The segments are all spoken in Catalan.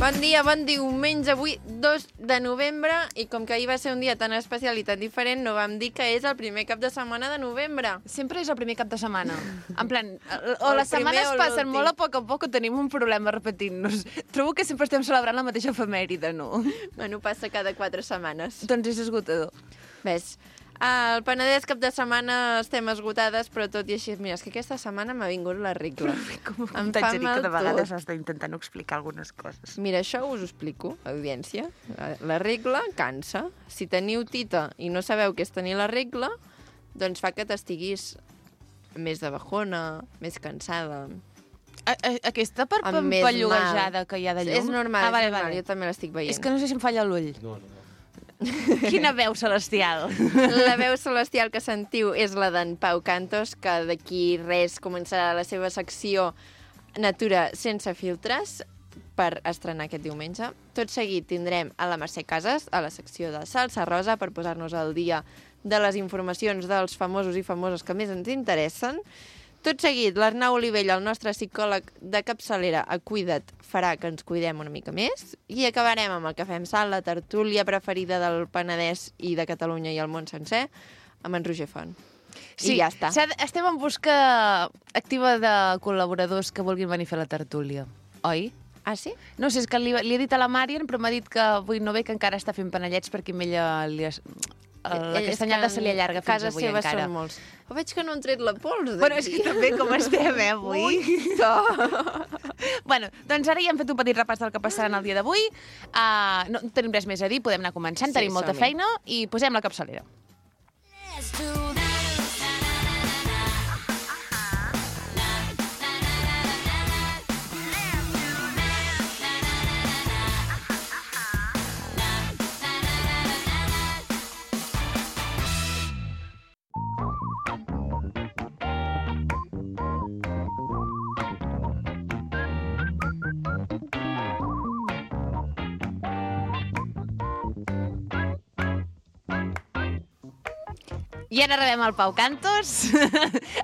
Bon dia, bon diumenge, avui 2 de novembre, i com que ahir va ser un dia tan especial i tan diferent, no vam dir que és el primer cap de setmana de novembre. Sempre és el primer cap de setmana. En plan, O les setmanes passen l'últim. molt a poc o tenim un problema repetint-nos. Trobo que sempre estem celebrant la mateixa efemèride, no? Bueno, passa cada 4 setmanes. Doncs és esgotador. Ves, al Penedès cap de setmana estem esgotades, però tot i així, mira, és que aquesta setmana m'ha vingut la regla. Com t'haig de dir que de vegades has d'intentar no explicar algunes coses. Mira, això us ho explico, audiència. La regla cansa. Si teniu tita i no sabeu què és tenir la regla, doncs fa que t'estiguis més de bajona, més cansada. Aquesta Amb més pampalluguejada que hi ha de llum? És normal, vale, és normal, vale. jo també l'estic veient. És que no sé si em falla l'ull. No. Quina veu celestial. La veu celestial que sentiu és la d'en Pau Cantos, que d'aquí res començarà la seva secció Natura sense filtres per estrenar aquest diumenge. Tot seguit tindrem a la Mercè Casas, a la secció de Salsa Rosa, per posar-nos al dia de les informacions dels famosos i famoses que més ens interessen. Tot seguit, l'Arnau Olivella, el nostre psicòleg de capçalera a Cuida't, farà que ens cuidem una mica més. I acabarem amb el Cafè amb Sal, la tertúlia preferida del Penedès i de Catalunya i el món sencer, amb en Roger Font. Sí, I ja està. Estem en busca activa de col·laboradors que vulguin venir a fer la tertúlia, oi? Ah, sí? No sé, és que li he dit a la Marian, però m'ha dit que avui no ve, que encara està fent panellets perquè amb ella la castanyada se li allarga fins casa avui seva encara. Són molts. Però veig que no han tret la pols d'aquí. Bueno, és que també com estem, avui. Bueno, doncs ara ja hem fet un petit repàs del que passarà en el dia d'avui. No tenim res més a dir, podem anar començant, Sí, tenim molta som-hi. feina i posem la capçalera. I ara rebem el Pau Cantos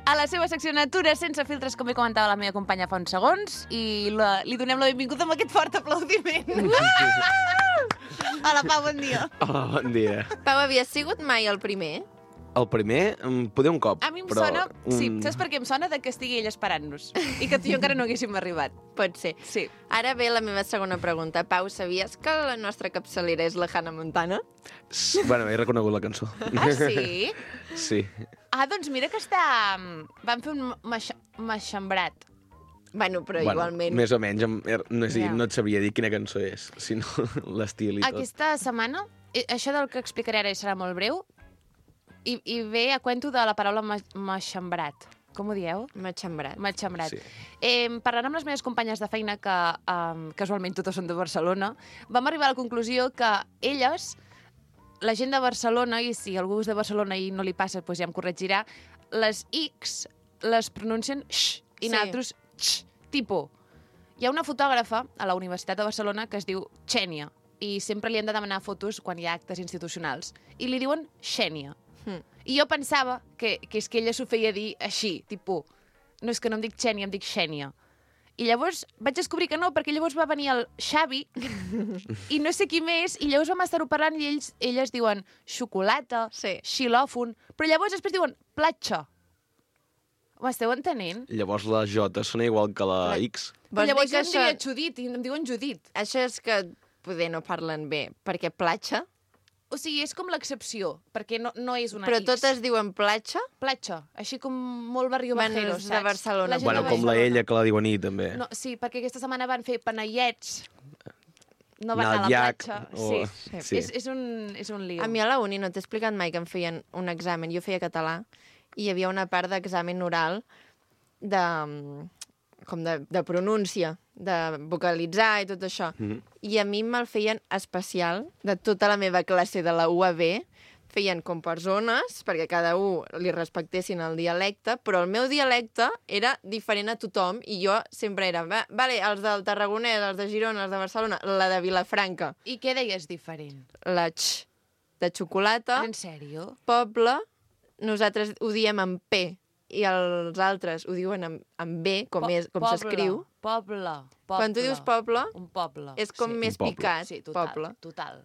a la seva secció Natura sense filtres, com bé comentava la meva companya fa uns segons, i li donem la benvinguda amb aquest fort aplaudiment. Hola, Pau, bon dia. Hola, bon dia. Pau, havies sigut mai el primer? El primer, poder un cop. A mi em però sona... Sí, saps per què em sona? De que estigui ell esperant-nos i que tu i jo encara no haguéssim arribat. Pot ser. Sí. Ara ve la meva segona pregunta. Pau, sabies que la nostra capçalera és la Hannah Montana? Bueno, he reconegut la cançó. Ah, sí? Sí. Ah, doncs mira que està... Van fer un maxambrat. Bueno, però igualment... Més o menys. No Ja. et sabria dir quina cançó és, sinó l'estil i tot. Aquesta setmana, això del que explicaré ara serà molt breu, i ve a cuento de la paraula maxambrat. Com ho dieu? Matxembrat. Matxambrat. Sí. Parlant amb les meves companyes de feina, que casualment totes són de Barcelona, vam arribar a la conclusió que elles, la gent de Barcelona, i si algú és de Barcelona i no li passa, doncs ja em corregirà, les X les pronuncien x, i Sí. nosaltres x. Tipo, hi ha una fotògrafa a la Universitat de Barcelona que es diu Xènia, i sempre li hem de demanar fotos quan hi ha actes institucionals, i li diuen Xènia. I jo pensava que és que ella s'ho feia dir així, tipus, no és que no em dic Xènia, em dic Xènia. I llavors vaig descobrir que no, perquè llavors va venir el Xavi i no sé qui més, i llavors vam estar-ho parlant i elles diuen xocolata, Sí. xilòfon, però llavors després diuen platja. M'esteu entenent? Llavors la J sona igual que la X. Però Vols llavors dir que jo em diria Judit, i em diuen Judit. Això és que poder no parlen bé, perquè platja, O sigui, és com l'excepció, perquè no és una però X. totes diuen platja? Platja, així com molt barrio Bueno, bajero, és saps? de Barcelona. La gent Bueno, de com la Barcelona. ella, que la diuen I, també. No, sí, perquè aquesta setmana van fer panellets. No van Anar anar a al la llac, platja. o- Sí. sí. És un lío. A mi a la uni no t'he explicat mai que em feien un examen. Jo feia català i hi havia una part d'examen oral de pronúncia, de vocalitzar i tot això. I a mi me'l feien especial, de tota la meva classe de la UAB, feien com per zones, perquè cada un li respectessin el dialecte, però el meu dialecte era diferent a tothom, i jo sempre era, vale, els del Tarragonès, els de Girona, els de Barcelona, la de Vilafranca, I què deies diferent? la x de xocolata, En sèrio? poble, nosaltres ho diem amb P, i els altres ho diuen amb B, com s'escriu. Poble. Quan tu dius poble, un poble. és com més Un poble. picat. Sí, total, poble. total.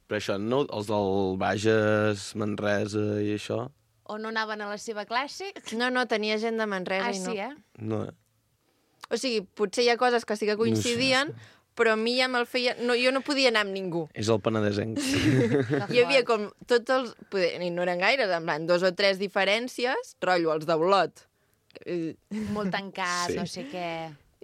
Però això, no, els del Bages, Manresa i això, O no anaven a la seva classe? No, tenia gent de Manresa i no. Sí, no. O sigui, potser hi ha coses que sí que coincidien, però a mi ja me'l feia... No, jo no podia anar amb ningú. És el penedesenc. Hi havia com tots els... I no eren gaires, en plan, 2 o 3 diferències, rotllo, els d'Olot. Molt tancat, Sí. no sé què...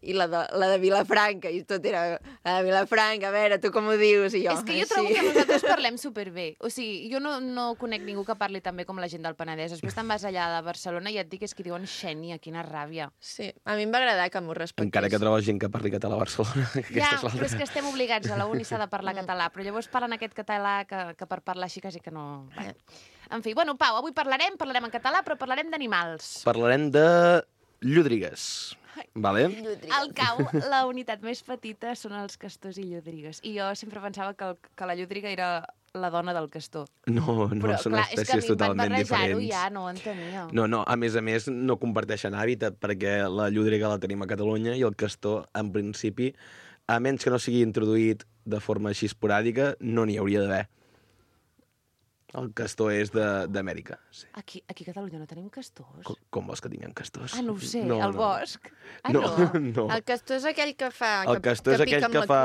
I la de Vilafranca, i tot era la de Vilafranca, a veure, tu com ho dius? I jo, És que jo trobo que nosaltres parlem superbé. O sigui, jo no conec ningú que parli tan bé com la gent del Penedès. Després te'n vas allà de Barcelona i et dic és que diuen Xènia, quina ràbia. Sí, a mi em va agradar que m'ho respectés. Encara que trobes gent que parli català a Barcelona. Ja, però és que estem obligats, a la uni s'ha de parlar català, però llavors parlen aquest català que per parlar així quasi que no... Bé. En fi, bueno, Pau, avui parlarem en català, però parlarem d'animals. Parlarem de llúdrigues. Vale? Al cau, la unitat més petita són els castors i llúdrigues. I jo sempre pensava que la llúdriga era la dona del castor. No, Però, són clar, espècies totalment és que a mi diferents. ja no ho entenia. No, a més, no comparteixen hàbitat, perquè la llúdriga la tenim a Catalunya i el castor, en principi, a menys que no sigui introduït de forma així esporàdica, no n'hi hauria d'haver. El castor és d'Amèrica. Sí. Aquí a Catalunya no tenim castors? Com vols que tinguem castors? Ah, no ho sé, al bosc? Ah, no. El castor és aquell que fa... El castor és aquell que fa...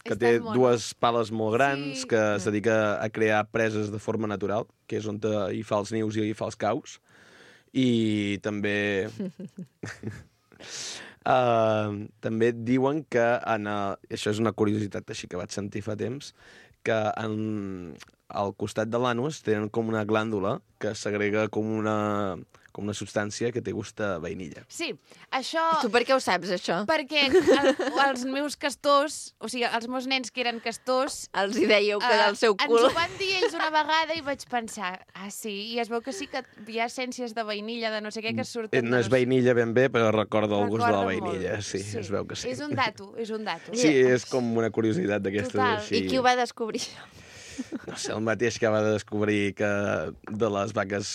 que té dues pales molt grans, que es dedica a crear preses de forma natural, que és on hi fa els nius i hi fa els caus. I també... també diuen que això és una curiositat així que vaig sentir fa temps, que al costat de l'anus tenen com una glàndula que segrega com una substància que té gust de vainilla. Sí, això... Tu per què ho saps, això? Perquè els meus castors, o sigui, els meus nens que eren castors... Els hi dèieu que del seu cul... Ens ho van dir ells una vegada i vaig pensar, sí, i es veu que sí que hi ha essències de vainilla, de no sé què, que surten... No és vainilla ben bé, però recorda el gust de la vainilla, molt. sí, es veu que sí. És un dato. Sí, és com una curiositat d'aquestes així. I qui ho va descobrir? No sé, el mateix que va descobrir que de les vaques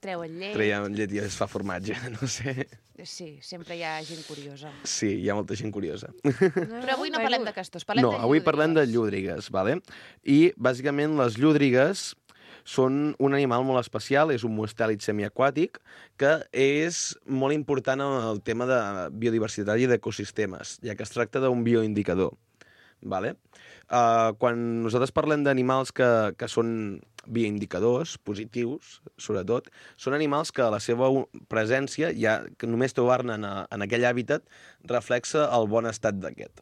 treuen llet i es fa formatge, no sé. Sí, sempre hi ha gent curiosa. Sí, hi ha molta gent curiosa. Però avui no parlem de castors, parlem de llúdrigues. Avui parlem de llúdrigues, vale? I, bàsicament, les llúdrigues són un animal molt especial, és un mustèlid semiaquàtic, que és molt important en el tema de biodiversitat i d'ecosistemes, ja que es tracta d'un bioindicador. Vale? Quan nosaltres parlem d'animals que són bioindicadors, positius, sobretot, són animals que la seva presència, ja que només trobar-ne en aquell hàbitat, reflexa el bon estat d'aquest.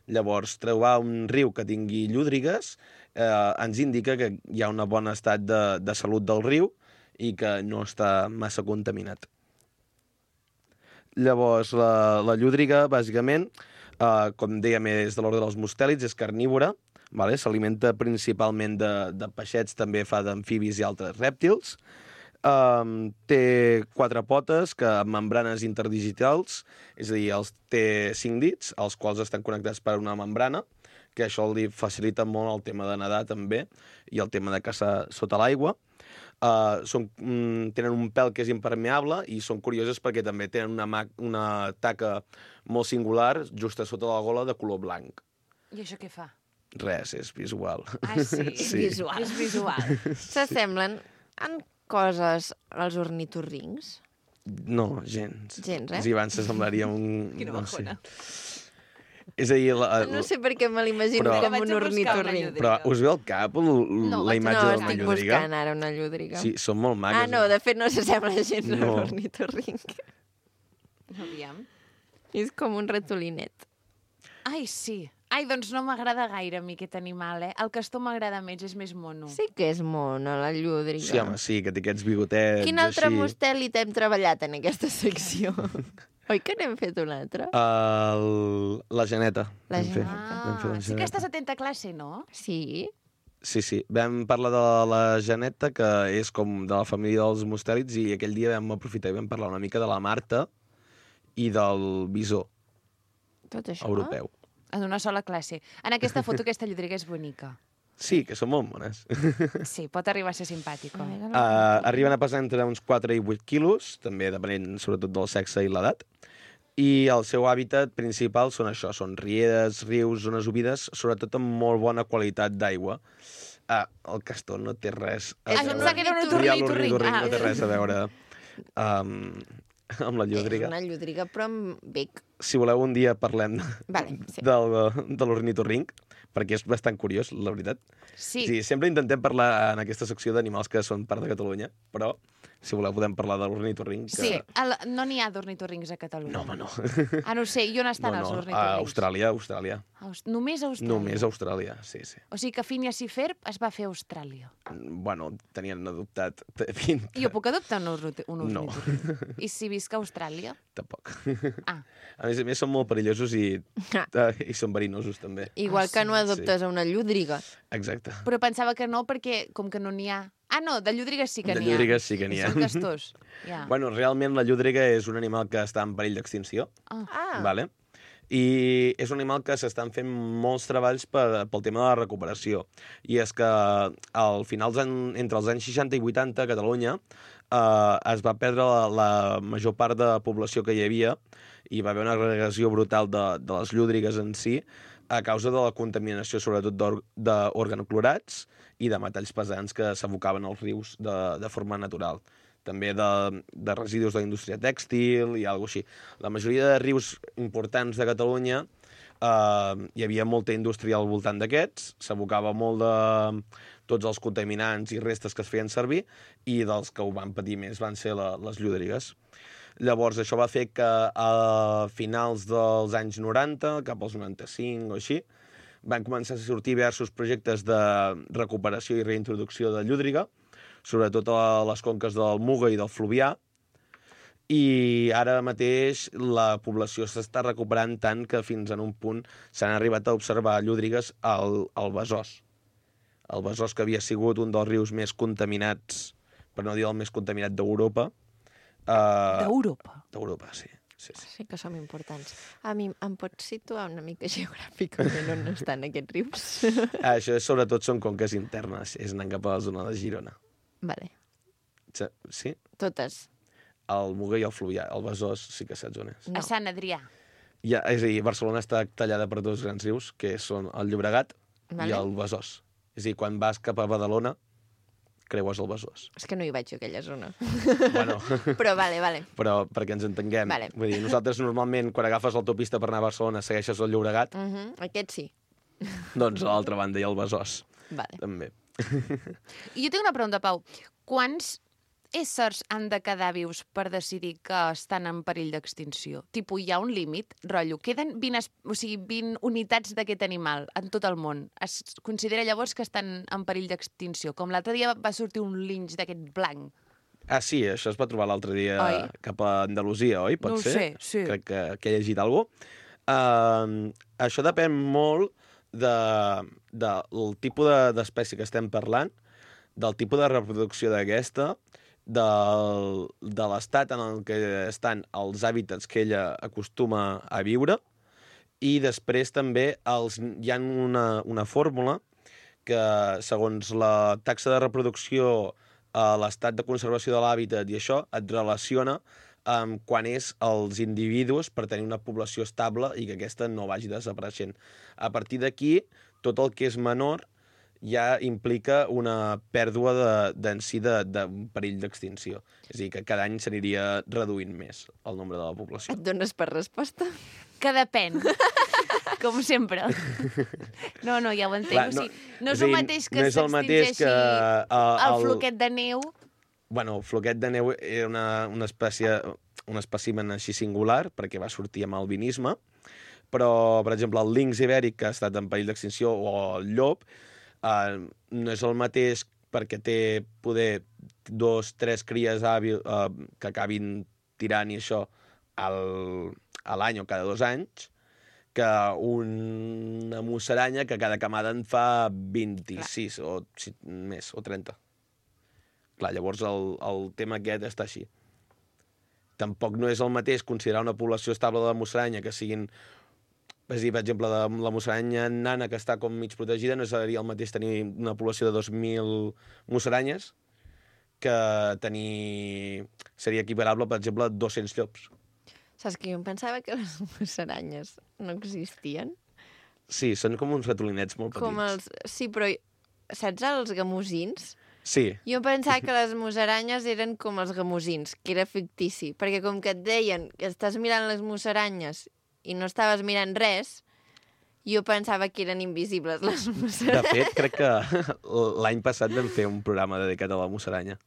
Llavors, trobar un riu que tingui llúdrigues ens indica que hi ha un bon estat de salut del riu i que no està massa contaminat. Llavors, la llúdriga, bàsicament, com dèiem, és de l'ordre dels mustèlids, és carnívora, vale? S'alimenta principalment de peixets, també fa d'amfibis i altres rèptils. Té 4 potes amb membranes interdigitals, és a dir, té 5 dits, els quals estan connectats per una membrana, que això li facilita molt el tema de nedar també, i el tema de caçar sota l'aigua. Tenen un pèl que és impermeable i són curioses perquè també tenen una taca molt singular just a sota la gola de color blanc. I això què fa? Res, és visual. Ah, sí? Sí. Visual. És visual. S'assemblen en coses als ornitorrincs? No, gens. Gens, Si abans s'assemblaria un... Quina bajona. És a dir... No sé per què me l'imagino com un ornitorrinc. Però us ve al cap la imatge d'una llúdriga? No, estic buscant ara una llúdriga. Sí, són molt maques. No, de fet no s'assembla gens a un ornitorrinc. Aviam. És com un ratolinet. Ai, sí. Ai, doncs no m'agrada gaire a mi aquest animal, El castor m'agrada més, és més mono. Sí que és mono, la llúdriga. Sí, home, sí, que té aquests bigotets Quin altre així. mustèlid hem treballat en aquesta secció? Oi que n'hem fet un altre? La Geneta. La Vam fer. Geneta. Vam fer la Sí que Geneta. estàs atenta a classe, no? Sí. Sí. Vam parlar de la Geneta, que és com de la família dels mustèlids, i aquell dia vam aprofitar i vam parlar una mica de la Marta i del bisó Tot això? europeu. En una sola classe. En aquesta foto aquesta llúdriga és bonica. Sí, que són molt mones. Sí, pot arribar a ser simpàtic. Arriben a pesar entre uns 4 i 8 quilos, també depenent sobretot del sexe i l'edat. I el seu hàbitat principal són això, són rieres, rius, zones humides, sobretot amb molt bona qualitat d'aigua. El castor no té res a Em veure. pensava que era un L'ornitorrinc ornitorrinc. no té res a veure amb la És llúdriga. una llúdriga, però amb bec. Si voleu, un dia parlem Vale, sí. de l'ornitorrinc, perquè és bastant curiós, la veritat. Sí, Sí, sempre intentem parlar en aquesta secció d'animals que són part de Catalunya, però si voleu podem parlar de l'ornitorrinc. sí. No n'hi ha d'ornitorrincs a Catalunya. No, home, no. Ah, no ho sé. I on estan els A ornitorrincs? Austràlia. Només a Austràlia? Només a Austràlia, sí. O sigui que Phineas i Ferb es va fer a Austràlia. Bueno, tenien adoptat... Pinta. Jo puc adoptar un No. ornitorrinc? I si visc a Austràlia? Tampoc. Ah. A més, són molt perillosos i són verinosos, també. Igual que no adoptes a una llúdriga. Exacte. Però pensava que no, perquè com que no n'hi ha... Ah, no, de llúdrigues sí que De n'hi ha. llúdrigues sí que n'hi ha. Són castors. Ja. Bueno, realment la llúdriga és un animal que està en perill d'extinció. Ah, Vale? I és un animal que s'estan fent molts treballs pel tema de la recuperació. I és que al final, entre els anys 60 i 80, a Catalunya es va perdre la major part de població que hi havia i va haver una agregació brutal de les llúdrigues en si a causa de la contaminació, sobretot d'organoclorats i de metalls pesants que s'abocaven als rius de forma natural. També de residus de la indústria tèxtil i alguna així. La majoria de rius importants de Catalunya hi havia molta indústria al voltant d'aquests, s'abocava molt de tots els contaminants i restes que es feien servir i dels que ho van patir més van ser les llúdrigues. Llavors, això va fer que a finals dels anys 90, cap als 95 o així, van començar a sortir diversos projectes de recuperació i reintroducció de llúdriga, sobretot a les conques del Muga i del Fluvià, i ara mateix la població s'està recuperant tant que fins en un punt s'han arribat a observar llúdrigues al Besòs. El Besòs, que havia sigut un dels rius més contaminats, per no dir el més contaminat d'Europa. D'Europa? D'Europa, sí. Sí que som importants. A mi em pots situar una mica geogràficament on estan aquests rius? Això sobretot són conques internes, és anant cap a la zona de Girona. Vale. Sí? Totes. El Muga i el Fluvià. El Besòs sí que saps on és. A Sant Adrià. Ja, és a dir, Barcelona està tallada per dos grans rius, que són el Llobregat i el Besòs. És a dir, quan vas cap a Badalona, creues el Besòs. És que no hi vaig a aquella zona. Bueno, Però vale. però perquè ens entenguem. Vale. Vull dir, nosaltres normalment, quan agafes l'autopista per anar a Barcelona, segueixes el Llobregat, Aquest sí. doncs a l'altra banda hi ha el Besòs, Vale. també. I jo tinc una pregunta, Pau. Quants éssers han de quedar vius per decidir que estan en perill d'extinció? Tipo, hi ha un límit? Rotllo, queden 20 unitats d'aquest animal en tot el món. Es considera llavors que estan en perill d'extinció? Com l'altre dia va sortir un linx d'aquest blanc. Ah, sí, això es va trobar l'altre dia Oi? cap a Andalusia, oi? Pot No ho ser? sé, sí. Crec que he llegit alguna cosa. Això depèn molt del tipus d'espècie que estem parlant, del tipus de reproducció d'aquesta, de l'estat en el que estan els hàbitats que ella acostuma a viure, i després també hi ha una fórmula que, segons la taxa de reproducció, l'estat de conservació de l'hàbitat i això, et relaciona amb quan és els individus per tenir una població estable i que aquesta no vagi desapareixent. A partir d'aquí, tot el que és menor ja implica una pèrdua d'un perill d'extinció. És a dir, que cada any s'aniria reduint més el nombre de la població. Et dones per resposta? Que depèn. Com sempre. No, ja ho entenc. Clar, o sigui, no és és a el dir, mateix que no és el mateix s'extingeixi que, el floquet de neu. Bueno, el floquet de neu era un espècimen així singular, perquè va sortir amb albinisme, però, per exemple, el linx ibèric, que ha estat en perill d'extinció, o el llop, no és el mateix perquè té poder 2-3 cries que acabin tirant i això a l'any o cada 2 anys, que una musaranya que cada camada en fa 26 o més, o 30. Clar, llavors el tema aquest està així. Tampoc no és el mateix considerar una població estable de musaranya que siguin És a dir, per exemple, la musaranya nana, que està com mig protegida, no seria el mateix tenir una població de 2.000 musaranyes que tenir... Seria equiparable, per exemple, a 200 llops. Saps que jo em pensava que les musaranyes no existien? Sí, són com uns ratolinets molt petits. Com els... Sí, però saps els gamusins? Sí. Jo em pensava que les musaranyes eren com els gamusins, que era fictici, perquè com que et deien que estàs mirant les musaranyes i no estaves mirant res, jo pensava que eren invisibles les De musaranyes. fet, crec que l'any passat vam fer un programa dedicat a la musaranya.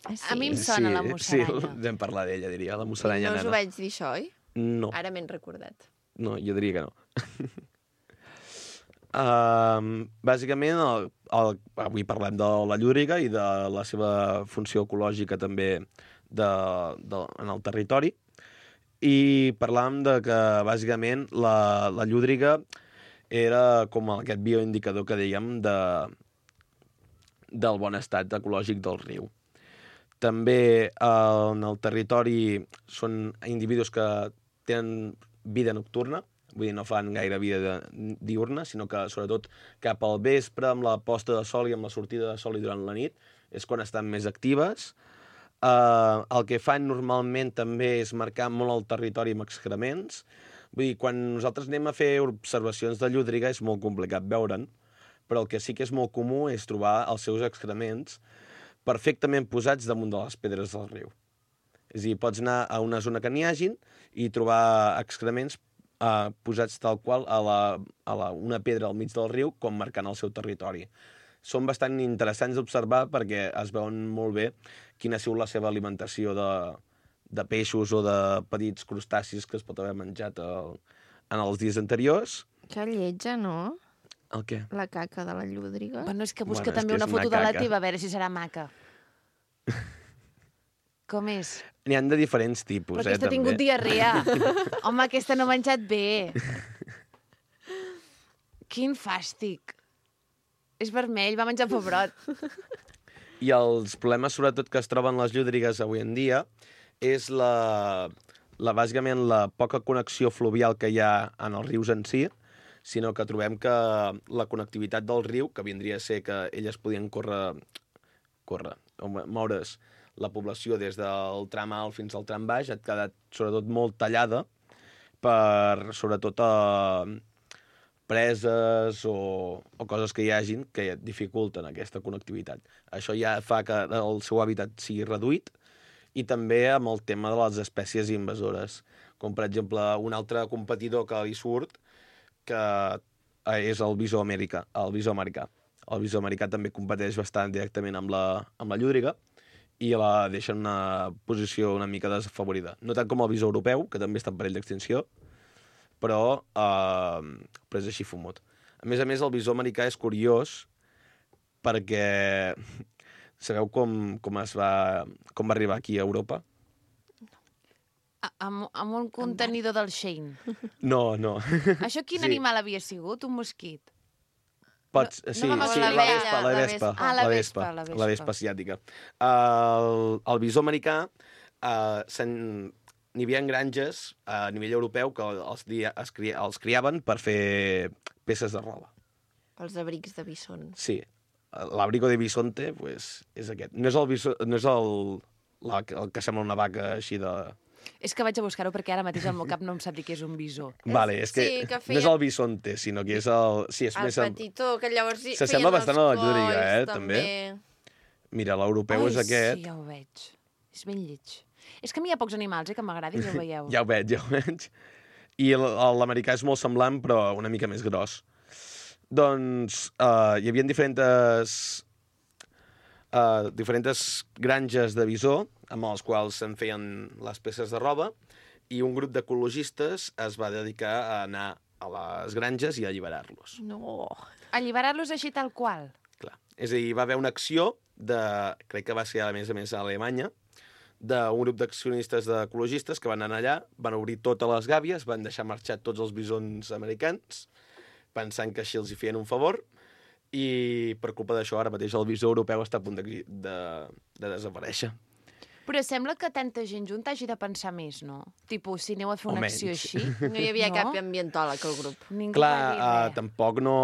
Ah, sí? A mi em sona la musaranya. Sí, vam parlar d'ella, diria, la musaranya No us ho nana. vaig dir això, oi? No, Ara m'he recordat. no, jo diria que no. Bàsicament, avui parlem de la llúdriga i de la seva funció ecològica també en el territori. I parlàvem de que, bàsicament, la llúdriga era com aquest bioindicador que dèiem del bon estat ecològic del riu. També en el territori són individus que tenen vida nocturna, vull dir, no fan gaire vida diurna, sinó que, sobretot, cap al vespre, amb la posta de sol i amb la sortida de sol i durant la nit, és quan estan més actives. El que fan normalment també és marcar molt el territori amb excrements. Vull dir, quan nosaltres anem a fer observacions de llúdriga és molt complicat veure'n, però el que sí que és molt comú és trobar els seus excrements perfectament posats damunt de les pedres del riu. És a dir, pots anar a una zona que n'hi hagin i trobar excrements posats tal qual a una pedra al mig del riu com marcant el seu territori. Són bastant interessants d'observar perquè es veuen molt bé quina ha sigut la seva alimentació de peixos o de petits crustacis que es pot haver menjat en els dies anteriors. Que lletja, no? El què? La caca de la llúdriga. Bueno, és que busca Bueno, és també que una és una foto de la caca. teva, a veure si serà maca. Com és? N'hi han de diferents tipus, Però aquesta ha també. tingut diarrea. Home, aquesta no ha menjat bé. Quin fàstic. És vermell, va menjar pebrot. I els problemes, sobretot, que es troben les llúdrigues avui en dia és bàsicament la poca connexió fluvial que hi ha en els rius en si, sinó que trobem que la connectivitat del riu, que vindria a ser que elles podien moure's la població des del tram alt fins al tram baix, ha quedat sobretot molt tallada per, sobretot, preses o coses que hi hagin que dificulten aquesta connectivitat. Això ja fa que el seu hàbitat sigui reduït i també amb el tema de les espècies invasores, com per exemple un altre competidor que li surt que és el bisó americà. El bisó americà també competeix bastant directament amb la llúdriga i la deixa en una posició una mica desafavorida. No tant com el bisó europeu, que també està en perill d'extinció, però és així fumut. A més, el bisó americà és curiós perquè sabeu com va arribar aquí a Europa? Amb un contenidor del Shein. No. Això quin Sí. animal havia sigut? Un mosquit? Sí, vam sí, la la vespa. Ah, la vespa. La vespa asiàtica. El bisó americà n'hi havia granges a nivell europeu que els criaven per fer peces de roba. Els abrics de bison. Sí. L'abrigo de bisonte pues, és aquest. No és el que sembla una vaca així de... És que vaig a buscar-ho perquè ara mateix al meu cap no em sap dir què és un bisó. Vale, és que, Sí, que no és feia- el bisonte, sinó que és el... Sí, és El més... petitó, que llavors S'assembla feien bastant a la els llúdriga, colls, també. Mira, l'europeu és aquest. Sí, ja ho veig. És ben lleig. És que a mi hi ha pocs animals, que m'agradin, ja ho veieu. Ja ho veig. I l'americà és molt semblant, però una mica més gros. Doncs hi havia diferents granges de bisó amb els quals se'n feien les peces de roba i un grup d'ecologistes es va dedicar a anar a les granges i a alliberar-los. No. Alliberar-los així tal qual. Clar. És a dir, va haver una acció crec que va ser a més a Alemanya, d'un grup d'accionistes d'ecologistes que van anar allà, van obrir totes les gàbies, van deixar marxar tots els bisons americans, pensant que així els hi feien un favor, i per culpa d'això ara mateix el bisó europeu està a punt de desaparèixer. Però sembla que tanta gent junta hagi de pensar més, no? Tipo, si aneu a fer una acció així... No hi havia cap ambientòleg al grup. Ningú va dir Clar, res. tampoc no...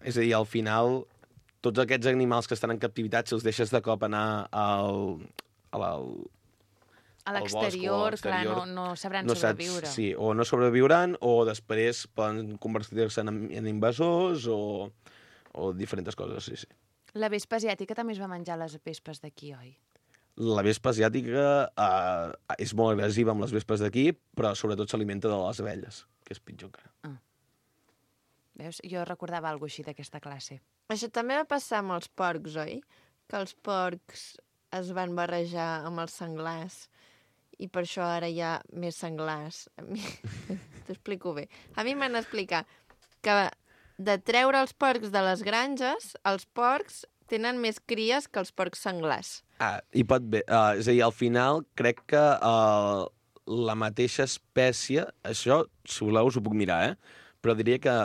És a dir, al final, tots aquests animals que estan en captivitat, si els deixes de cop anar A l'exterior, clar, no sabran sobreviure. Sí, o no sobreviuran, o després poden convertir-se en invasors, o diferents coses, sí. La vespa asiàtica també es va menjar les vespes d'aquí, oi? La vespa asiàtica és molt agressiva amb les vespes d'aquí, però sobretot s'alimenta de les abelles, que és pitjor encara. Veus? Jo recordava alguna cosa així d'aquesta classe. Això també va passar amb els porcs, oi? Que els porcs es van barrejar amb els senglars i per això ara hi ha més senglars. T'ho explico bé. A mi m'han explicat que de treure els porcs de les granges, els porcs tenen més cries que els porcs senglars. I pot bé. És a dir, al final, crec que la mateixa espècie, això, si voleu, us ho puc mirar, però diria que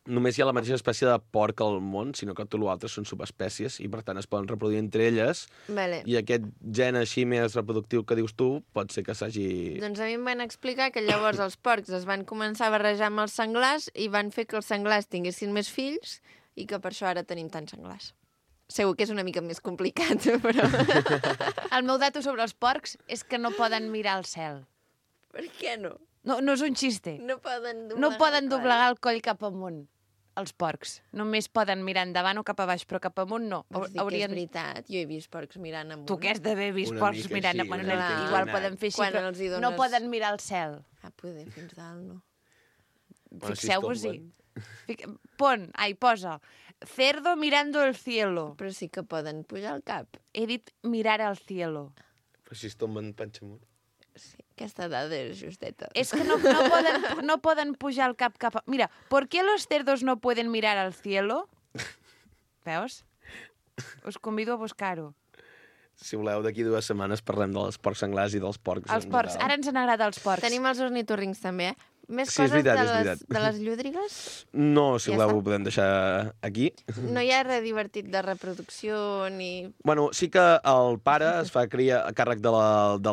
només hi ha la mateixa espècie de porc al món, sinó que tot l'altre són subespècies i, per tant, es poden reproduir entre elles. Vale. I aquest gen així més reproductiu que dius tu pot ser que s'hagi... Doncs a mi em van explicar que llavors els porcs es van començar a barrejar amb els senglars i van fer que els senglars tinguessin més fills i que per això ara tenim tants senglars. Segur que és una mica més complicat, però... El meu dato sobre els porcs és que no poden mirar al cel. Per què no? No és un xiste. No poden doblegar el coll cap amunt, els porcs. Només poden mirar endavant o cap a baix, però cap amunt no. Vols dir que és veritat? Jo he vist porcs mirant amunt. Tu que has d'haver vist Una porcs mica mirant sí, amunt. una mica Igual sí. poden fer així, Quan però els hi dones- no poden mirar al cel. Poder, fins dalt, no. Bueno, si es Fixeu-vos-hi. tomben. Posa. Cerdo mirando el cielo. Però sí que poden pujar al cap. He dit mirar al cielo. Però si es tomben panxa amunt. Sí, aquesta dada és justeta. Es que no poden pujar el cap cap a... Mira, ¿por qué los cerdos no pueden mirar al cielo? Veus? Us convido a buscar-ho. Si voleu, d'aquí 2 setmanes parlem dels porcs senglars i dels porcs. Els porcs. Ara ens n'agrada els porcs. Tenim els ornitorrincs també, Més Sí, és coses veritat, és veritat. de les llúdrigues? No, si Ja voleu, està. ho podem deixar aquí. No hi ha res divertit de reproducció ni... Bueno, sí que el pare es fa cria a càrrec de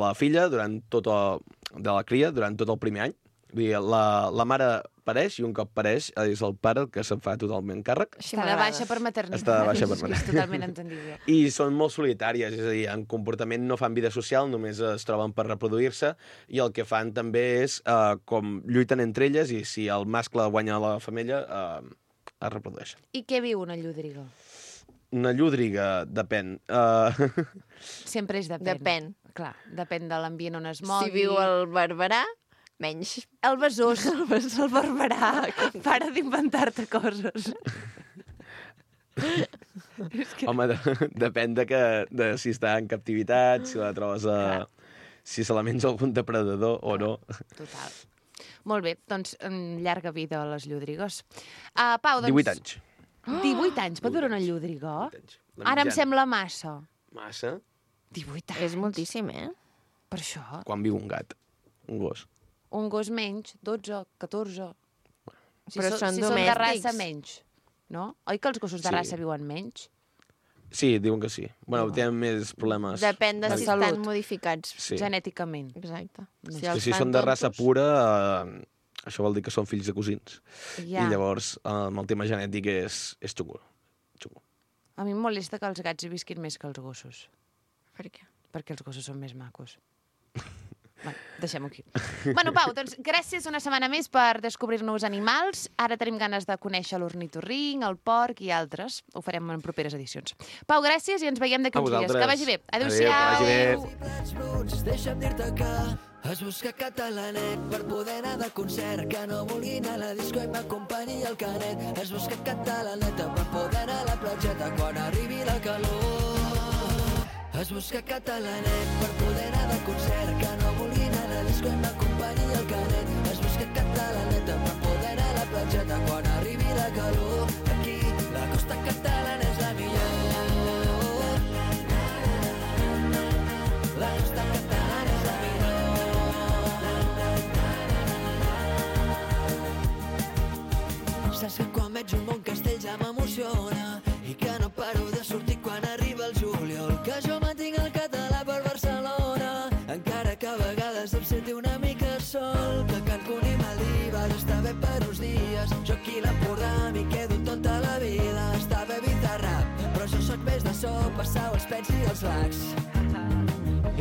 la filla durant tot el primer any. Vull dir, la mare pareix i un cop pareix és el pare el que se'n fa totalment càrrec. Així Està de m'agrada. baixa per maternitat. Està de baixa per És maternitat. totalment entendible. I són molt solitàries, és a dir, en comportament no fan vida social, només es troben per reproduir-se, i el que fan també és com lluiten entre elles, i si el mascle guanya la femella, es reprodueixen. I què viu una llúdriga? Una llúdriga, depèn. Sempre és depèn. Depèn. Clar, depèn de l'ambient on es mogui. Si viu al Barberà, menys. El besòs, el barberà. Para d'inventar-te coses. Home, depèn de si està en captivitat, si la trobes si se la menja algun depredador o no. Total. Molt bé, doncs llarga vida a les llúdrigues. Pau, doncs... 18 anys. 18 anys, pot durar una llúdriga? 18 anys. La Ara em mitjana. sembla massa. Massa? 18 anys. És moltíssim, Per això. Quan viu un gat, un gos. Un gos menys, 12, 14... Però són si són de domèstics. raça, menys. No? Oi que els gossos de Sí. raça viuen menys? Sí, diuen que sí. Bueno, tenen més problemes. Depèn de De si salut. estan modificats. Sí. Genèticament. Exacte. Si són de raça pura, això vol dir que són fills de cosins. Ja. I llavors, amb el tema genètic és xungo. A mi em molesta que els gats visquin més que els gossos. Per què? Perquè els gossos són més macos. Bueno, deixem-ho aquí. Bueno, Pau, doncs gràcies una setmana més per descobrir-nos animals. Ara tenim ganes de conèixer l'ornitorrinc, el porc i altres. Ho farem en properes edicions. Pau, gràcies i ens veiem d'aquí A uns dies. vosaltres. Que vagi bé. Adéu, Adéu-siau. que vagi bé. Plats bruts, deixa'm dir-te que has buscat catalanet per poder anar de concert, que no vulgui anar a la disco i m'acompanyi el canet. Has buscat catalaneta per poder anar a la platgeta quan arribi la calor. Has buscat catalanet per poder anar de concert, que no vulgui anar a la disco i m'acompanyi el canet. Has buscat catalaneta per poder anar a la platgeta quan arribi la calor. Aquí la costa catalana és la millor. La costa catalana és la millor. Saps que quan veig un bon castell ja m'emociona i que no paro de sortir quan arriba el juliol, que jo mantinc el català per Barcelona. dies em senti una mica sol, que Cancún i Maldives està bé per uns dies. Jo aquí a l'Empordà m'hi quedo tota la vida. Està bé Bizarrap, però jo sóc més de sopa, sau, els pets i els lacs.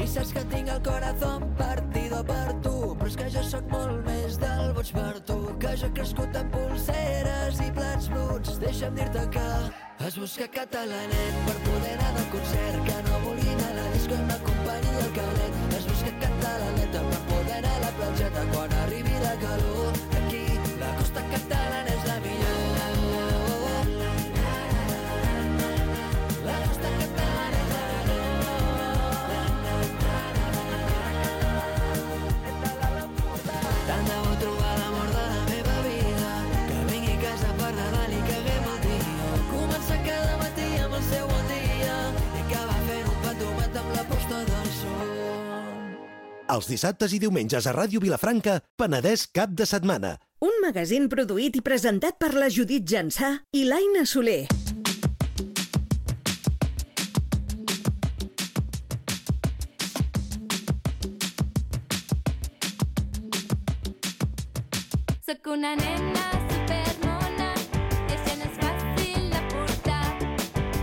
I saps que tinc el corazón partido per tu, però és que jo sóc molt més del boig per tu, que jo he crescut amb pulseres i plats bruts. Deixa'm dir-te que has buscat catalanet per poder anar de concert, que no vulgui anar a la disco i m'acompanyi el canet. Has buscat catalaneta per poder anar a la platgeta quan arribi la calor. Aquí la costa catalana és la millor. La costa catalana és la tant de bo trobar l'amor de la meva vida, que vingui a casa per Nadal i caguem el dia. Començar cada matí amb el seu bon dia i acabar fent un patomat amb la posta del sol. Els dissabtes i diumenges a Ràdio Vilafranca, Penedès cap de setmana. Un magazín produït i presentat per la Judit Jansà i l'Aina Soler. Soc una nena supermona i això no és fàcil de portar.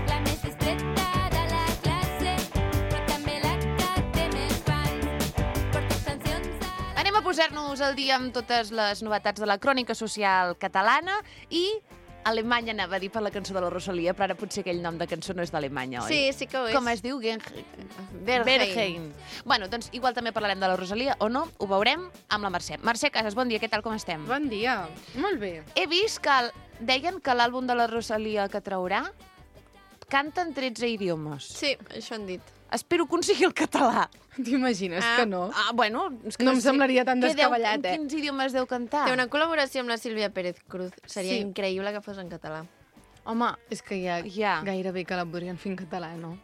La més discreta de la classe i també la que té més fans. Porto cancions a la... Anem a posar-nos al dia amb totes les novetats de la crònica social catalana i Alemanya anava a dir per la cançó de la Rosalia, però ara potser aquell nom de cançó no és d'Alemanya, oi? Sí, sí que ho és. Com es diu? Bergheim. Bueno, doncs igual també parlarem de la Rosalia, o no, ho veurem amb la Mercè. Mercè Casas, bon dia, què tal, com estem? Bon dia, molt bé. He vist que deien que l'àlbum de la Rosalia que traurà canta en 13 idiomes. Sí, això han dit. Espero que un sigui el català. T'imagines que no? Bueno, és que No em semblaria tan descabellat, En quins idiomes deu cantar? Té una col·laboració amb la Sílvia Pérez Cruz. Seria Sí. increïble que fos en català. Home, és que ja Ja. gairebé que la podrien fer en català, no?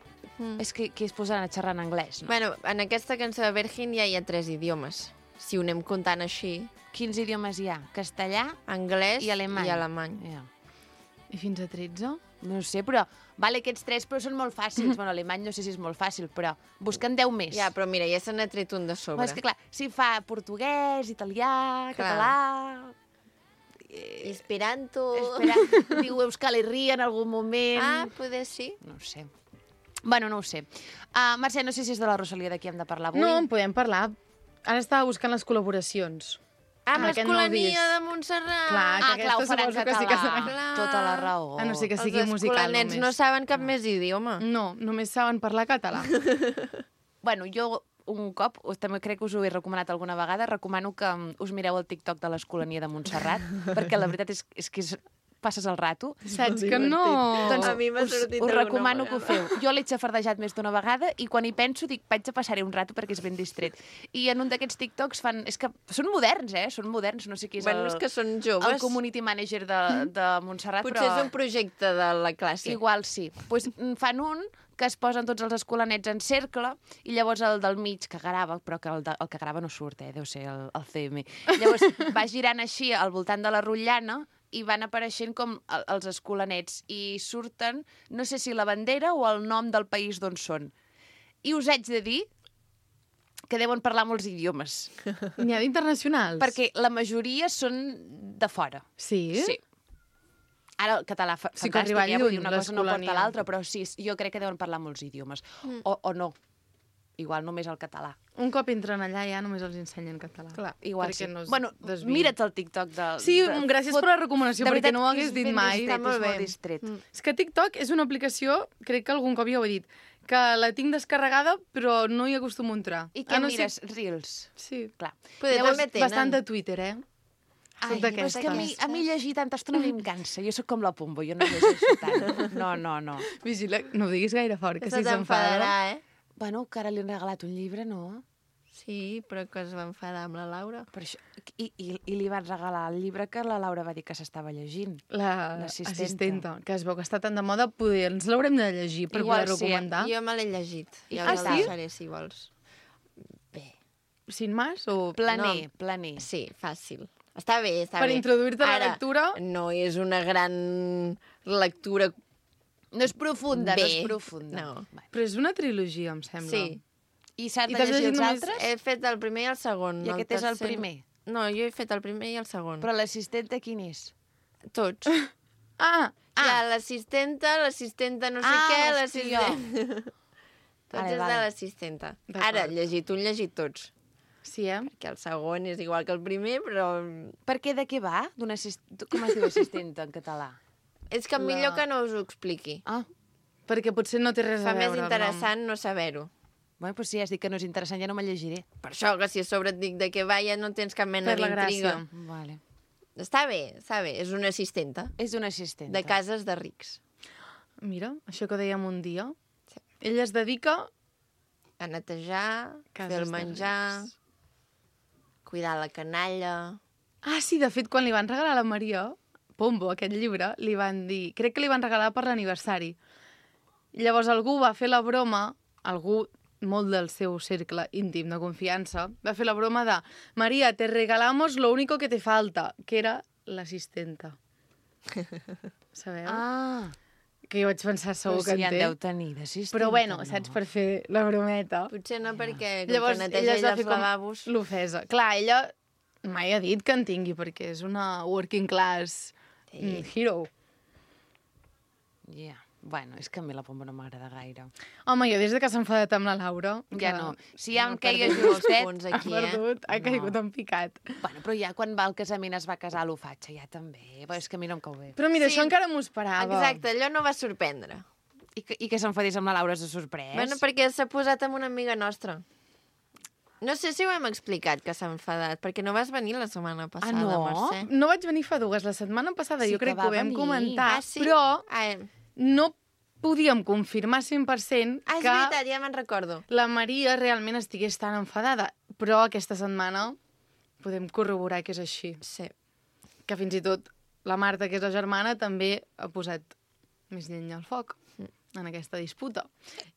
És que es posaran a xerrar en anglès, no? Bueno, en aquesta cançó de Virgin ja hi ha 3 idiomes. Si ho anem comptant així, Quins idiomes hi ha? Castellà anglès i alemany. Ja. I fins a 13? No ho sé, però... Vale, aquests 3 però són molt fàcils. Bueno, alemany no sé si és molt fàcil, però busquen 10 més. Ja, però mira, ja se n'ha tret un de sobre. Però és que, clar, si fa portuguès, italià, Clar. català... Esperanto... Espera, diu Euskal Herria en algun moment... Ah, poder sí. No ho sé. Bueno, no ho sé. Mercè, no sé si és de la Rosalia de qui hem de parlar avui. No, en podem parlar. Ara estava buscant les col·laboracions. Amb aquest nou l'Escolania disc. de Montserrat. Clar, que clar, ho aquesta farà en suposo que sí que català. serà. Clar. Tota la raó. A no ser que sigui Els musical escolanets només. no saben cap més idioma. No, només saben parlar català. Bueno, jo un cop, també crec que us ho he recomanat alguna vegada, recomano que us mireu el TikTok de l'Escolania de Montserrat, perquè la veritat és que passes el rato. Saps que no... Doncs a mi m'ha sortit us alguna recomano que ho vegada. feu. Jo l'he xafardejat més d'una vegada i quan hi penso dic, vaig a passar-hi un rato perquè és ben distret. I en un d'aquests TikToks fan... És que són moderns, Són moderns, no sé qui és Bueno, és que són joves. el community manager de Montserrat, Potser però... és un projecte de la classe. Igual sí. Pues, fan un que es posen tots els escolanets en cercle i llavors el del mig que grava, però que el que grava no surt, deu ser el CM. Llavors va girant així al voltant de la rotllana i van apareixent com els escolanets i surten, no sé si la bandera o el nom del país d'on són. I us haig de dir que deuen parlar molts idiomes, N'hi ha d'internacionals? perquè la majoria són de fora. Sí? Sí. Ara el català Sí que fantàstic, arriba vull dir, lluny, una cosa no porta l'Escolania. l'altra, però sí, jo crec que deuen parlar molts idiomes. O no. Igual només el català. Un cop entren allà ja només els ensenyen català. Clar, Igual perquè sí. no es Bueno, desviïn. mira't el TikTok de... Sí, gràcies per la recomanació, De perquè veritat no ho que hagués és dit ben mai. distret, Està molt és molt bé. distret. És que TikTok és una aplicació, crec que algun cop ja ho he dit, que la tinc descarregada però no hi acostumo a entrar. I què no mires? Reels. Sí. Clar. Poder Llavors, també tenen. bastant de Twitter, Ai, Soc però és que d'aquestes. a mi llegir tanta estona a mi em cansa. Jo sóc com la Pumbo, jo no llegeixo tant. No. Vigila, no ho diguis gaire fort, que Que se si s'enfada. t'enfadarà, Bueno, que ara li han regalat un llibre, no? Sí, però que es va enfadar amb la Laura. Per això, i li van regalar el llibre que la Laura va dir que s'estava llegint. L'assistenta. L'assistenta, que es veu que està tan de moda, poder ens l'haurem de llegir per Igual poder sí, recomendar. Jo me l'he llegit. I Ja què us el tal? deixaré, si vols. Bé. Sin más o... Planer. Sí, fàcil. Està bé, està Per bé. introduir-te a la Ara, lectura? no és una gran lectura. No és profunda, no Bé. és profunda. No. Bueno. Però és una trilogia, em sembla. Sí. I s'han I de t'has llegir llegit els només- altres? He fet el primer i el segon. I aquest és el tercer- primer? No, jo he fet el primer i el segon. Però l'assistenta quin és? Tots. Ah, Hi ha l'assistenta no sé Ah, què, hòstia. l'assistent... Tots Vale, és vale. de l'assistenta. D'acord. Ara, llegit un, llegit tots. sí, Que el segon és igual que el primer, però... Per què, de què va? Com es diu assistenta en català? És que millor que no us ho expliqui. Ah, Perquè potser no té res Fa a veure. més interessant no saber-ho. bueno, doncs si has dit que no és interessant, ja no me'l llegiré. Per això, que si a sobre et dic de què va, ja no tens cap mena Per la d'intriga. gràcia. Vale. Està bé. És una assistenta És una assistenta. de cases de rics. Mira, això que dèiem un dia. Sí. Ell es dedica... A netejar, Cases fer el de menjar, rics. cuidar la canalla... Ah, sí, de fet, quan li van regalar a la Maria, Pombo, aquest llibre, li van dir... Crec que li van regalar per l'aniversari. Llavors algú va fer la broma, algú molt del seu cercle íntim de confiança, va fer la broma de Maria, te regalamos lo único que te falta, que era l'assistenta. Sabeu? Ah, Que jo vaig pensar, segur però que si en en té. deu tenir d'assistenta. Però bueno, no? saps, per fer la brometa. Potser no, perquè com Llavors, que ella neteja es va ella fer els lavabos... l'ofesa. Clar, ella mai ha dit que en tingui, perquè és una working class hero. Ja. Bueno, és que a mi la Pombo no m'agrada gaire. Home, jo des de que s'ha enfadat amb la Laura... Ja que no. Si ja em ha queia perdut molts justet... punts Ha aquí, perdut, ha caigut en picat. Bueno, però ja quan va al casament es va casar a l'ofatge, ja també. Però és que a mi no em cau bé. Però mira, Sí. això encara m'ho esperava. Exacte, allò no va sorprendre. I que s'enfadés amb la Laura s'ha sorprès. Bueno, perquè s'ha posat amb una amiga nostra. No sé si ho hem explicat, que s'ha enfadat, perquè no vas venir la setmana passada, no? Mercè. No vaig venir fa dues. La setmana passada Sí jo crec que que va ho vam venir. comentar, Ah, sí? però Ah, no podíem confirmar 100% és que veritat, ja me'n recordo. la Maria realment estigués tan enfadada. Però aquesta setmana podem corroborar que és així. Sí. Que fins i tot la Marta, que és la germana, també ha posat més llenya al foc en aquesta disputa.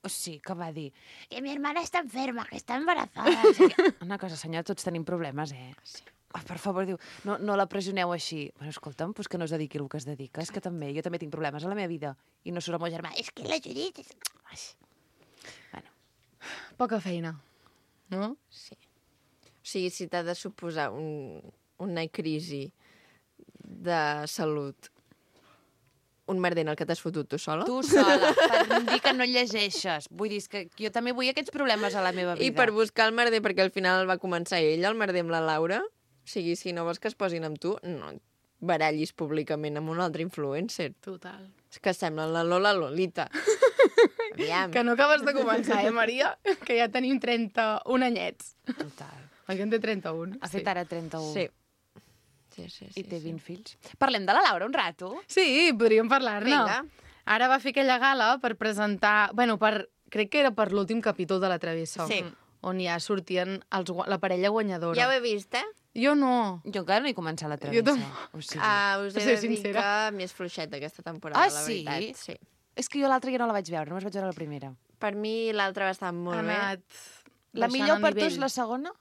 O sí, que va dir que mi hermana està enferma, que està embarazada. O sigui, una cosa, senyor, tots tenim problemes, Sí. Oh, per favor, diu, no la pressioneu així. Bueno, escolta'm, pues que no es dediqui el que es dedica. És que també, jo també tinc problemes a la meva vida. I no surt el meu germà. És que la Judit... Ai. Bueno, Poca feina, no? Sí. O sigui, si t'ha de suposar una crisi de salut, un merder en el que t'has fotut tu sola, tu sola, per dir que no llegeixes. Vull dir, és que jo també vull aquests problemes a la meva vida. i per buscar el merder, perquè al final el va començar ell, el merder amb la Laura, o sigui, si no vols que es posin amb tu, no et barallis públicament amb un altre influencer. Total. És que semblen la Lola Lolita. Aviam. Que no acabes de començar, Maria? Que ja tenim 31 anyets. Total. Oi que en té 31? Ha fet ara 31. Sí. Sí. I té 20 fills. Parlem de la Laura un rato? Sí, podríem parlar-ne. Vinga. Ara va fer aquella gala per presentar... Bueno, crec que era per l'últim capítol de La Travessa. Sí. On ja sortien la parella guanyadora. Ja ho he vist, Jo no. Jo encara no he començat la Jo travessa. tampoc. O sigui, Us he Ser de dir sincera. que m'és fluixeta aquesta temporada, Ah, la sí? veritat. Sí. és que jo l'altra ja no la vaig veure, només vaig veure la primera. Per mi l'altra va estar molt Ha bé. anat La baixant millor el per tu nivell. és la segona?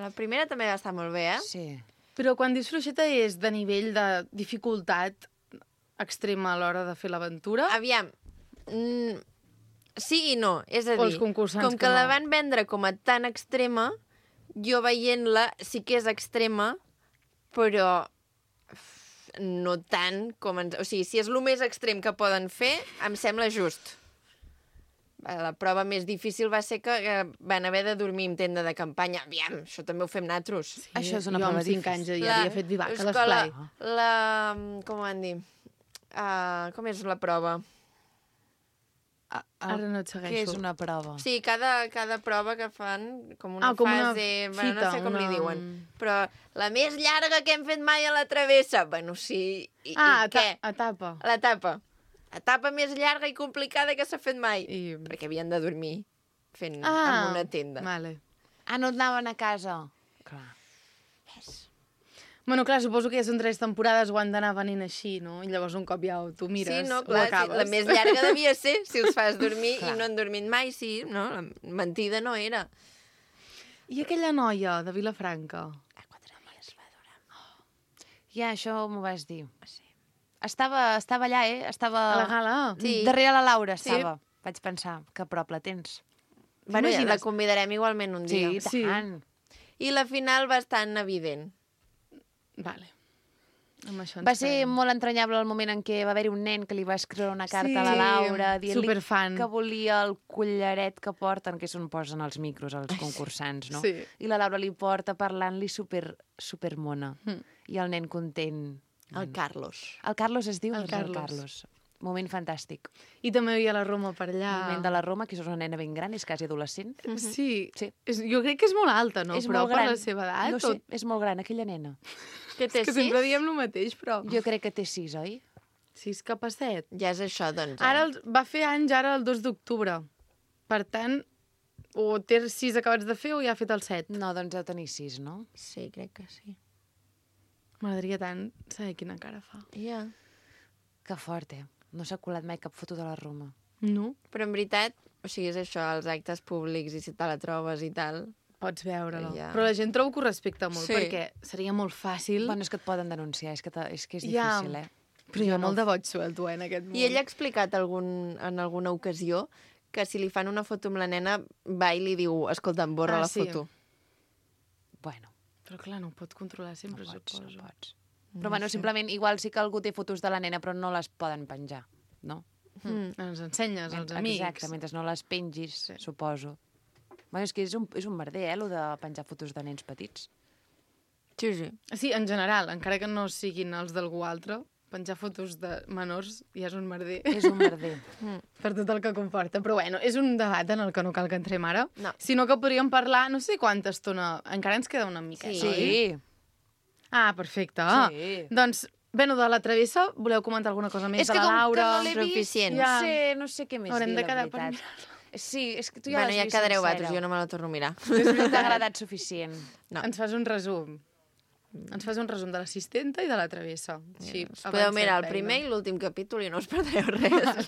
La primera també va estar molt bé, Sí. Però quan dius fluixeta és de nivell de dificultat extrema a l'hora de fer l'aventura? Aviam, sí i no. És a O els dir, concursants com que que la no. van vendre com a tan extrema, jo veient-la sí que és extrema, però no tant com... O sigui, si és el més extrem que poden fer, em sembla just. La prova més difícil va ser que van haver de dormir en tenda de campanya. Aviam, això també ho fem nosaltres. Sí, Això és una jo prova amb 5 difícil. anys ja havia fet vivac a és que l'esplai. com ho van dir? Com és la prova? Ara no et Què és segueixo. una prova? Sí, cada prova que fan com una com una fase... Bueno, no fita, sé com li una- diuen. Però la més llarga que hem fet mai a la travessa. Bueno, sí. I què? Etapa. L'etapa. Etapa més llarga i complicada que s'ha fet mai. I- Perquè havien de dormir fent en una tenda. Vale. Ah, no anaven a casa? Clar. Bueno, clar, suposo que ja són 3 temporades o han d'anar venint així, no? I llavors un cop ja tu mires, Sí, no, ho clar, sí, acabes. la més llarga devia ser si els fas dormir Clar. i no han dormit mai, sí, no? La mentida no era. I aquella noia de Vilafranca? Ja, això m'ho vas dir. Estava allà, Estava... A la gala? Sí. Darrere la Laura Sí. estava. Vaig pensar, que a prop la tens. Bueno, ja la T'imagines? convidarem igualment un dia. Sí, i tant. I la final bastant evident. Vale. Amb això ens Va ser quedem. molt entranyable el moment en què va haver-hi un nen que li va escriure una carta Sí, a la Laura dient-li superfan. que volia el collaret que porten, que és on posen els micros als concursants, no? Sí. I la Laura li porta parlant-li super mona. I el nen content. El Carlos. El Carlos es diu? El Doncs Carlos. Moment fantàstic. I també hi havia la Roma per allà. Moment de la Roma, que és una nena ben gran, és quasi adolescent. Sí. Sí. Jo crec que és molt alta, no? És Però molt per gran. la seva edat... No sé, és molt gran, aquella nena. Que té És que 6? sempre diem el mateix, però... Jo crec que té 6, oi? 6 cap a 7. Ja és això, doncs. Ara va fer anys ara el 2 d'octubre. Per tant, o té 6 acabats de fer o ja ha fet el 7. No, doncs deu tenir 6, no? Sí, crec que sí. M'agradaria tant saber quina cara fa. Ja. Que fort, No s'ha colat mai cap foto de la Roma. No? Però en veritat, o sigui, és això, els actes públics i si te la trobes i tal... Pots veure-la. Ja. Però la gent trobo que ho respecta molt, Sí. perquè seria molt fàcil. Bueno, és que et poden denunciar, és que és Ja. difícil, Però hi ha molt de boig suelto, en aquest món. I ell ha explicat en alguna ocasió que si li fan una foto amb la nena, va i li diu, escolta, em borra la sí. foto. Bueno, Però clar, no ho pot controlar sempre, suposo. no pots. Però bueno, simplement, igual sí que algú té fotos de la nena, però no les poden penjar, no? Ens ensenyes als amics. Exacte, mentre no les pengis, suposo. Bueno, és que és un merder, lo de penjar fotos de nens petits. Sí, sí. Sí, en general, encara que no siguin els d'algú altre, penjar fotos de menors ja és un merder És un merder. per tot el que comporta. Però bueno, és un debat en el que no cal que entrem ara. No. Sinó que podríem parlar, no sé quanta estona, encara ens queda una miqueta, Sí. oi? Sí. Ah, perfecte. Sí. Doncs, bueno, de la travessa, voleu comentar alguna cosa més És de que la com que Laura? no l'he vist, Suficient. Ja. no sé què més Haurem dir, de la quedar per veritat. Sí, és que tu ja Bueno, l'has ja vist quedareu sencera. vosaltres, jo no me la torno a mirar. No t'ha agradat suficient. No. Ens fas un resum. Ens fas un resum de l'assistenta i de la travessa. Sí, Us podeu mirar el primer i l'últim capítol i no us perdreu res.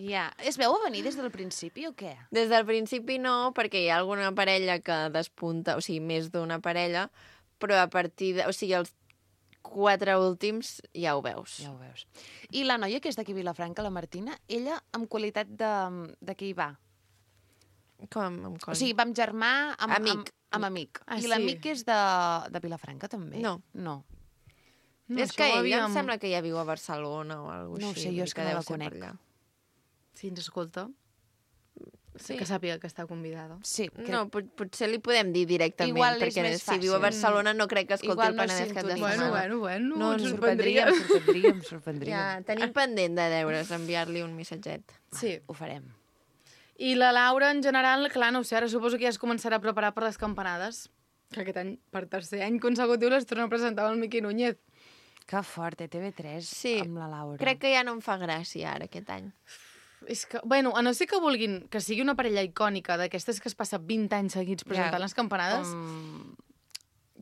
Ja. Es veu a venir des del principi o què? Des del principi no, perquè hi ha alguna parella que despunta, o sigui, més d'una parella, però a partir de... O sigui, els 4 últims ja ho veus. Ja ho veus. I la noia que és d'aquí a Vilafranca, la Martina, ella amb qualitat de què hi va? Com? Amb O sigui, va amb germà, amb Amic. Amb amic. Ah, I sí? l'amic és de Vilafranca, també? No. No. No, és això que ho ella havíem- em sembla que ja viu a Barcelona o alguna No ho així. sé, jo vull dir és que no deu la ser per conec. allà. Si ens escolta, Sí. que sàpiga que està convidada. Sí, No, potser li podem dir directament, Igual és perquè més si viu a fàcil. Barcelona no crec que escolti Igual el no Penedès cap de sintonitza. setmana. Bueno, No, ens ens sorprendria. sorprendríem. Ja, tenim pendent de deures, enviar-li un missatget. Sí. Ho farem. I la Laura, en general, clar, no ho sé, ara suposo que ja es començarà a preparar per les campanades. Que aquest any, per tercer any consecutiu, les torna a presentar el Miqui Núñez. Que fort, TV3 Sí. amb la Laura. Crec que ja no em fa gràcia ara aquest any. És que, bueno, a no ser que vulguin que sigui una parella icònica d'aquestes que es passa 20 anys seguits presentant les campanades,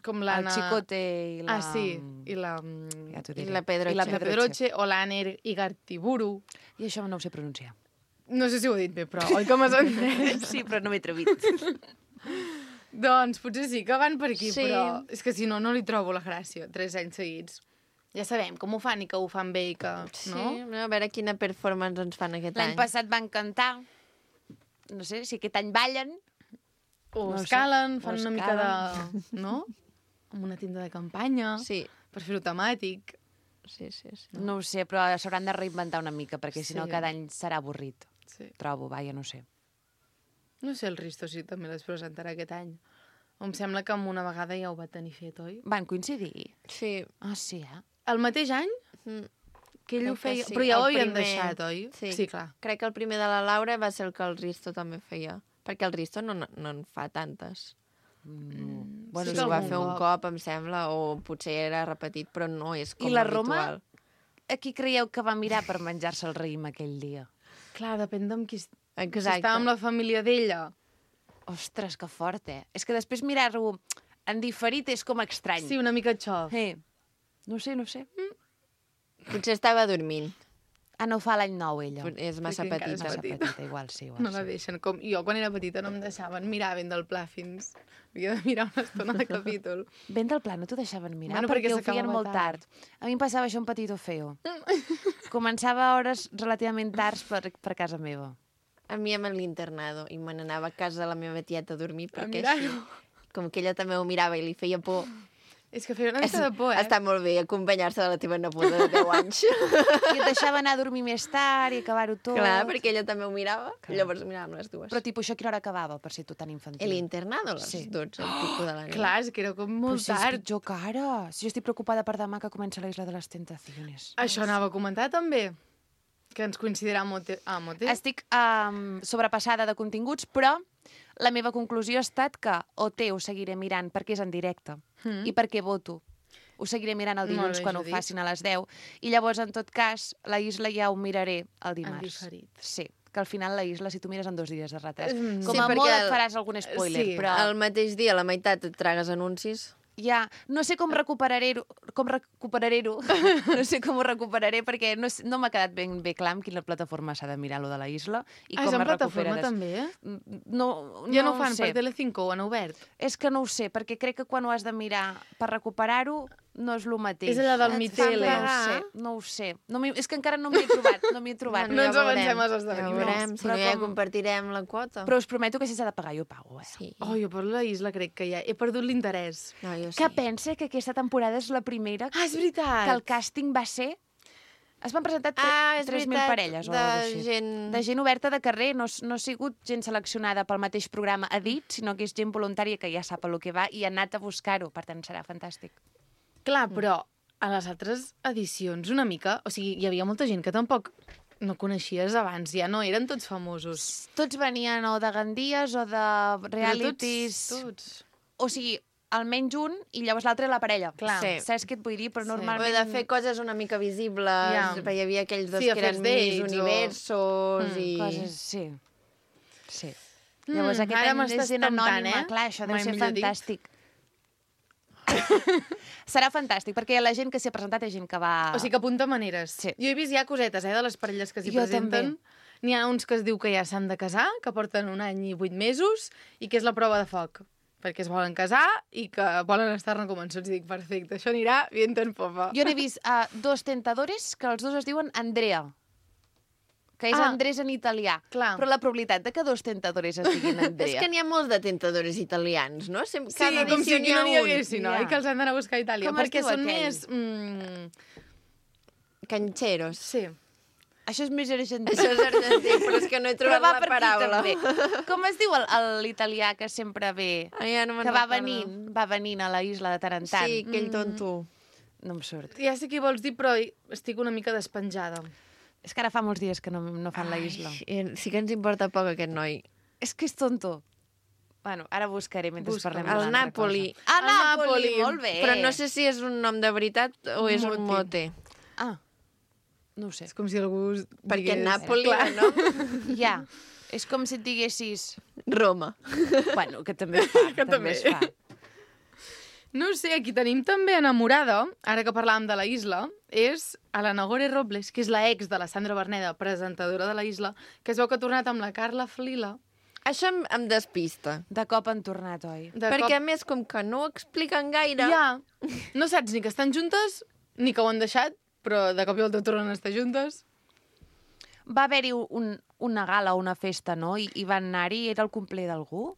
com El l'Anna... Chicote i la... Ah, sí, i la... Ja t'ho I diré. la Pedroche. I la La Pedroche o l'Aner Igartiburu. I això no ho sé pronunciar. No sé si ho he dit bé, però oi que m'has entès? Sí, però no m'he atrevit. Doncs potser sí que van per aquí, Sí. però és que si no, no li trobo la gràcia, 3 anys seguits. Ja sabem com ho fan i que ho fan bé i que... Sí, No? a veure quina performance ens fan aquest L'any any. passat van cantar. No sé si aquest any ballen. O No ho sé. escalen, fan O una mica de... No? Amb una tenda de campanya, Sí, per fer-ho temàtic. sí. No ho sé, però s'hauran de reinventar una mica, perquè si no Sí. cada any serà avorrit. Sí. Trobo, vaja, no sé. No sé el Risto si també les presentarà aquest any. Em sembla que amb una vegada ja ho va tenir fet, oi? Van coincidir? Sí. Ah, sí, eh? El mateix any Mm. que ell ho Crec que feia... sí. Però ja ho El havien primer. deixat, oi? Sí. Sí, clar. Crec que el primer de la Laura va ser el que el Risto també feia. Perquè el Risto no en fa tantes. Bueno, Sí Sí, ho va algun fer un cop. cop, em sembla, o potser era repetit, però no és com I la habitual. Roma? A qui creieu que va mirar per menjar-se el raïm aquell dia? Clar, depèn d'amb qui... Si Exacte. estava amb la família d'ella. Ostres, que fort, eh? És que després mirar-ho en diferit és com estrany. Sí, una mica xof. No sé, no sé. Potser estava dormint. Ah, no fa l'any nou, ella. És massa Crec que encara és petita. Massa petita. petita, igual sí. Igual No la sí. deixen. Com jo, quan era petita, no em deixaven mirar ben del pla fins... Havia de mirar una estona de capítol. Ben del pla, no t'ho deixaven mirar, Bueno, perquè perquè ho feien s'acabava molt tard. A mi em passava això un petito feo. Començava a hores relativament tards per casa meva. A mi amb l'internado, i me n'anava a casa de la meva tieta a dormir, perquè mirar-ho. així, com que ella també ho mirava i li feia por, És que feia una mica de por, està molt bé acompanyar-se de la teva neboda de 10 anys. I et deixava anar a dormir més tard i acabar-ho tot. Clar, perquè ella també ho mirava, llavors miràvem les dues. Però, tipus, això a quina hora acabava, per ser tu tan infantil? L'internado a les Sí. 12, el pico de la nit. Clar, és que era com Però molt si és tard. pitjor que ara. Si jo estic preocupada per demà que comença la Isla de les Tentaciones. Això anava a comentar també, que ens coincidirà a Mote. Estic sobrepassada de continguts, però la meva conclusió ha estat que OT ho seguiré mirant perquè és en directe i perquè voto. Ho seguiré mirant el Molt dilluns bé, quan ho Judit. facin a les 10. I llavors, en tot cas, la Isla ja ho miraré el dimarts. diferit. Sí, que al final la Isla, si tu mires en 2 dies de retras, com Sí, a perquè molt et faràs algun spoiler, sí, però... El mateix dia, a la meitat, et tragues anuncis. Ja, no sé com recuperaré-ho, no sé com ho recuperaré, perquè no m'ha quedat ben bé clar amb quina plataforma s'ha de mirar lo de la Isla i És com en es plataforma recupera. també, eh? No, Ja no ho fan sé. per Telecinco, ho han obert. És que no ho sé, perquè crec que quan ho has de mirar per recuperar-ho no és el mateix. És allò del Et fan Mitele. pagar? No ho sé. És que encara no m'hi he trobat. No m'hi he trobat. No ens ja veurem. avancem als Ja esdeveniments. veurem, si Però no ja com- compartirem la quota. Però us prometo que si s'ha de pagar jo pago, eh? Sí. Oh, jo per la Isla crec que ja he perdut l'interès. No, jo Que pensa que aquesta temporada és la primera Ah, és veritat! que el càsting va ser... Es van presentar és 3.000 veritat, parelles o de alguna cosa així. gent- De gent oberta de carrer, no ha sigut gent seleccionada pel mateix programa a dit, sinó que és gent voluntària que ja sap a lo que va i ha anat a buscar-ho, per tant serà fantàstic. Clar, però a les altres edicions una mica... O sigui, hi havia molta gent que tampoc no coneixies abans, ja no eren tots famosos. Tots venien o de Gandies o de realities... Tots. O sigui, almenys un i llavors l'altre la parella. Clar. Sí. Saps què et vull dir? Però Sí. O normalment... de fer coses una mica visibles, Ja. perquè hi havia aquells dos Sí, que afers eren d'ells, Miss o- Universos i... Coses, sí. Sí. Llavors aquest ara any m'estàs és gent temptant, anònima, clar, això deu Mai ser millor dit. fantàstic. Serà fantàstic, perquè la gent que s'hi ha presentat és gent que va... O sigui que apunta maneres. Sí. Jo he vist ja cosetes, de les parelles que s'hi Jo presenten. N'hi ha uns que es diu que ja s'han de casar, que porten 1 any i 8 mesos, i que és la prova de foc. Perquè es volen casar i que volen estar-ne convençuts. I dic, perfecte, això anirà viento en popa. Jo n'he vist 2 tentadores, que els dos es diuen Andrea, que és Ah. Andrés en italià. Clar. Però la probabilitat de que 2 tentadores es diguin És Andrea... que n'hi ha molts de tentadors italians, no? Sí, Cada com si edició aquí no n'hi ha un. haguessin, no? Ja. I que els han d'anar a buscar a Itàlia. Com es perquè diu són aquell? més... Cancheros. Sí. Això és més argentí. Això és argentí, però és que no he Però trobat va la per aquí, paraula. també. Com es diu l'italià que sempre ve? Ah, ja no me'n Que va recordo. venint a la isla de tant en tant. Sí, aquell tonto. No em surt. Ja sé què vols dir, però estic una mica despenjada. És que ara fa molts dies que no fan la isla. Sí que ens importa poc aquest noi. És que és tonto. Bueno, ara buscaré mentre Busca. parlem El d'una altra Napoli. cosa. Ah, El Napoli, Napoli. molt bé. Però no sé si és un nom de veritat o és un mote. Ah, no ho sé. És com si algú... Perquè digués- Napoli, Clar. no? Ja, és com si et diguessis... Roma. Bueno, que també es fa. Que també. es fa. No ho sé, aquí tenim també enamorada, ara que parlàvem de la isla, és a la Nagore Robles, que és la ex de la Sandra Berneda, presentadora de la isla, que es veu que ha tornat amb la Carla Flila. Això em despista. De cop han tornat, oi? Perquè, a més, com que no ho expliquen gaire... Ja, no saps ni que estan juntes, ni que ho han deixat, però de cop i volta tornen a estar juntes. Va haver-hi una gala o una festa, no? I van anar-hi, era el complet d'algú?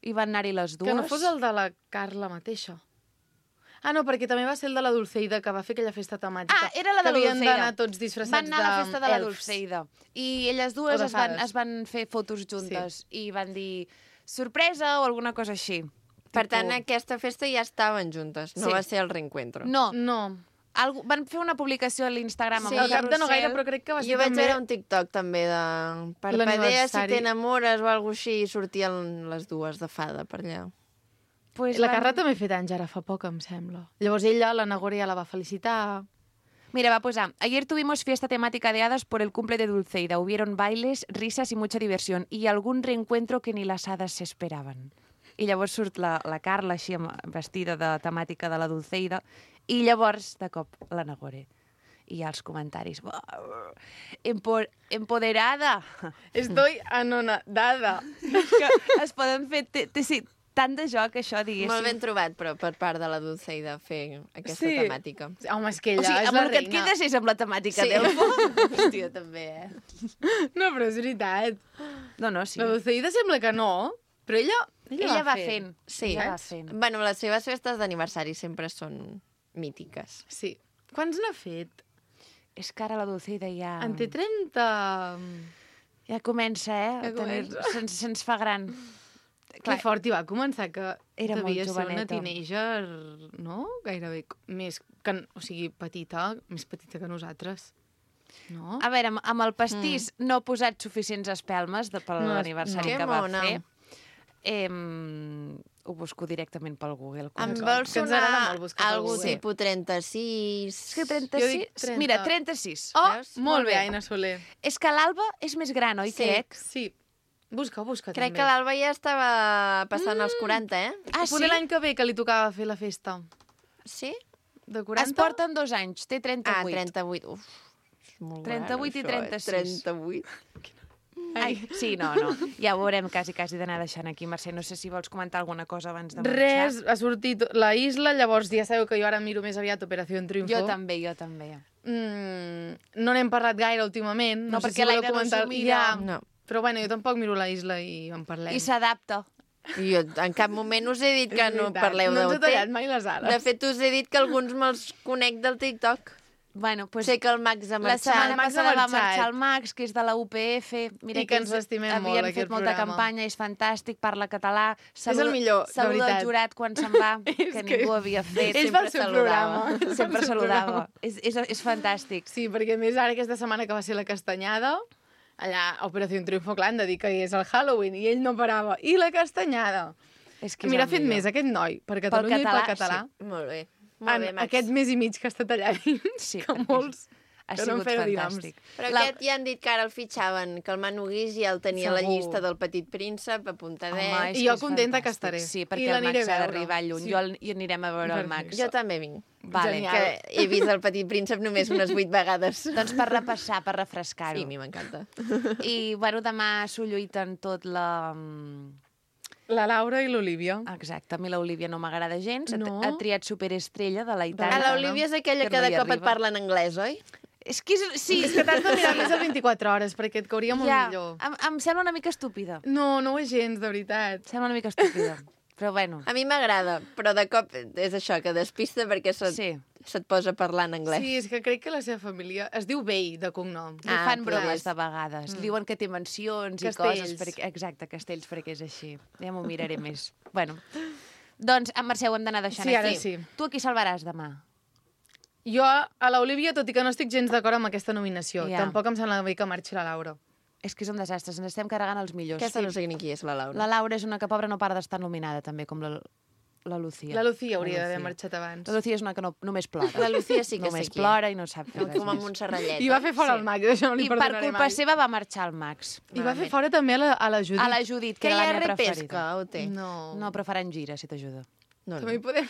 I van anar-hi les dues? Que no fos el de la Carla mateixa. Ah, no, perquè també va ser el de la Dulceida, que va fer aquella festa temàtica. Ah, era la de la Que havien Dulceida. d'anar tots disfressats Van anar a la festa de la elfs. Dulceida. I elles dues O de es van, fades. es van fer fotos juntes. I van dir sorpresa o alguna cosa així. Per tant, aquesta festa ja estaven juntes, no Sí. va ser el reencuentro. No, No, van fer una publicació a l'Instagram. Sí, amb al el cap de no gaire, carrusel. però crec que va ser Jo vaig també... veure un TikTok també de parpadea si L'aniversari. t'enamores o alguna així, i sortien les dues de fada per allà. Pues La van- Carla també ha fet anys ara fa poc, em sembla. Llavors ella, la Nagore, ja la va felicitar. Mira, va posar, ayer tuvimos fiesta temática de hadas por el cumple de Dulceida. Hubieron bailes, risas y mucha diversión y algún reencuentro que ni las hadas se esperaban. I llavors surt la Carla així vestida de temàtica de la Dulceida i llavors, de cop, la Nagore. I hi ha els comentaris. Empoderada! Estoy anonadada. Que es poden fer tant de joc, això, diguéssim. Molt ben trobat, però, per part de la Dulceida fer aquesta temàtica. Home, és que ella O sigui, és amb la el que et reina. quedes és amb la temàtica Sí. d'Elfo. Hòstia, també, No, però és veritat. No, sí. La Dulceida sembla que no, però ella va fent. Sí. Ella va fent. Bueno, les seves festes d'aniversari sempre són mítiques. Sí. Quants n'ha fet? És que ara la Dulceida ja... En té 30... Ja comença, Ja comença. Se'ns fa gran. Que fort hi va començar, que Era molt devia ser una joveneta. teenager, no? Gairebé més que... O sigui, més petita que nosaltres. No? A veure, amb el pastís no he posat suficients espelmes per No, l'aniversari no. que Que va mona. fer. Ho busco directament pel Google. Em D'acord. vol Que ens agrada sonar molt buscar pel algú Google. tipus 36... És que Jo 36... dic 30. Mira, 36. Oh, Veus? molt bé, Aina Soler. És que l'Alba és més gran, oi, Sí. crec? Sí. Busca Crec també. que l'Alba ja estava passant els 40, eh? Ah, Poder l'any que ve que li tocava fer la festa. Sí? De 40? Es porten 2 anys, té 38. Ah, 38. Uf, és molt 38 i gran, això, 36. 38. Ai, sí, no. Ja ho veurem quasi d'anar deixant aquí. Mercè, no sé si vols comentar alguna cosa abans de marxar. Res, ha sortit la isla, llavors ja sabeu que jo ara miro més aviat Operació Triunfo. Jo també. No n'hem parlat gaire últimament. No, sé perquè voleu l'Aina no comentar... s'ho mira. Ja, No. però bueno, jo tampoc miro la isla i en parlem. I s'adapta. Jo en cap moment us he dit que És no veritat, parleu no ens d'OT. he tallat mai les ales. De fet, us he dit que alguns me'ls conec del TikTok. Bueno, pues, Sé que el Max ha la marxat. setmana El Max ha passada va marxat. marxar el Max, que és de la UPF. Mira I que ens l'estimem molt, havien aquest fet molta programa. campanya, és fantàstic, parla català. el millor, de saluda veritat. el jurat quan se'n va, És que que- ningú havia fet. Ell fa el seu saludava. programa. Sempre El seu saludava. programa. És fantàstic. Sí, perquè a més ara aquesta setmana que va ser la castanyada, allà a Operació Triunfo, clar, han de dir que és el Halloween, i ell no parava. I la castanyada. És que és Mira, ha el fet millor. més aquest noi, per Catalunya i pel català. Molt bé. Molt bé, Max. Aquest mes i mig que ha estat allà dins, Sí, que perquè molts... Ha que no en sigut feia fantàstic. Però aquest ja han dit que ara el fitxaven, que el Manu Guix ja el tenia a la Segur. llista del Petit Príncep, apuntadet. Home, és I que jo és contenta que fantàstic. estaré. Sí, I perquè el l'aniré Max a ha veure. d'arribar lluny. Sí. I anirem a veure el Max. Jo també vinc. Genial. Que he vist el Petit Príncep només unes 8 vegades. Doncs per repassar, per refrescar-ho. Sí, a mi m'encanta. I, bueno, demà s'ho lluiten tot la... La Laura i l'Olivia. Exacte, a mi l'Olivia no m'agrada gens. No? Ha triat superestrella de la Ah, Itàlia. l'Olivia és aquella Que que no de hi cop et arriba. parla en anglès, oi? És que sí, És que t'has de mirar més el 24 hores, perquè et cauria molt millor. em sembla una mica estúpida. No, no ho és gens, de veritat. Em sembla una mica estúpida. Però bueno, A mi m'agrada, però de cop és això, que despista perquè se't posa a parlar en anglès. Sí, és que crec que la seva família... Es diu Bay, de cognom. li fan clar. bromes de vegades. Diuen que té mansions Castells. i coses. Exacte, castells, perquè és així. Ja m'ho miraré més. Bueno, doncs, en Mercè, ho hem d'anar deixant Sí, ara aquí. sí. Tu a qui salvaràs demà? Jo, a l'Olivia, tot i que no estic gens d'acord amb aquesta nominació, Ja. tampoc em sembla bé que marxi la Laura. És que és un desastre, ens estem carregant els millors. Aquesta no sé ni qui és, la Laura. La Laura és una que, pobra, no para d'estar nominada, també, com la Lucía. La Lucía hauria La d'haver Lucía. marxat abans. La Lucía és una que només plora. La Lucía sí que només sé qui. plora i no sap fer res Com a més. Montserratllet. I va fer fora el Max, això no li I per perdonaré culpa mai. seva va marxar el Max. I va fer fora també a la Judit. A la Judit, que Que hi era ha la meva repesca, preferida. o té? No. No, però faran gira, si t'ajuda. No, També hi podem...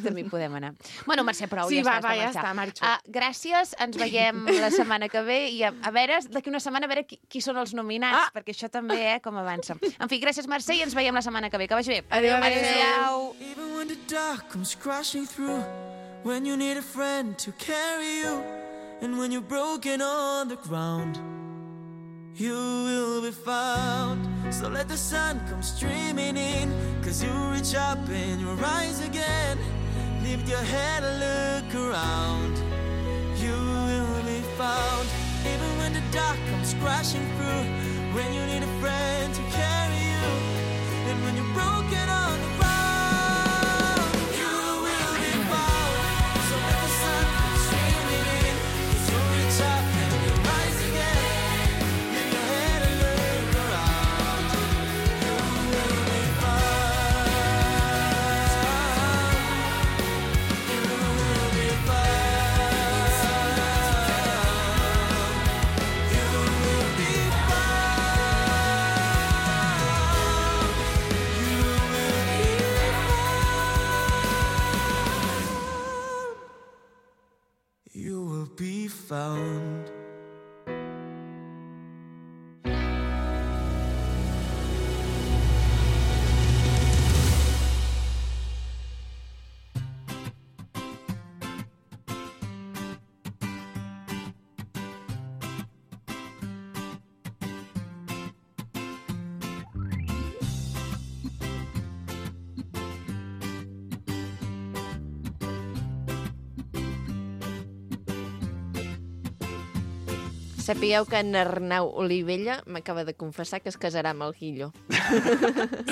També hi podem anar. Bueno, Mercè, prou, Sí, ja va, està, ja està, està, marxo. Gràcies, ens veiem la setmana que ve i a veure, d'aquí una setmana, a veure qui són els nominats, perquè això també, com avança. En fi, gràcies, Mercè, i ens veiem la setmana que ve. Que vagi bé. Adéu, adéu. Adéu. Even when the dark comes crashing through, when you need a friend to carry you, and when you're broken on the ground, you will be found. So let the sun come streaming in, 'cause you reach up and you rise again. Lift your head and look around, you will be found. Even when the dark comes crashing through, when you need a friend to carry you, and when you're broken on the ground, you will be found. So let the sun come streaming in, 'cause you reach up and you rise again. Lift your head and look around, you will be found. You will be found. You will be found. Sapigueu que en Arnau Olivella m'acaba de confessar que es casarà amb el Guillo.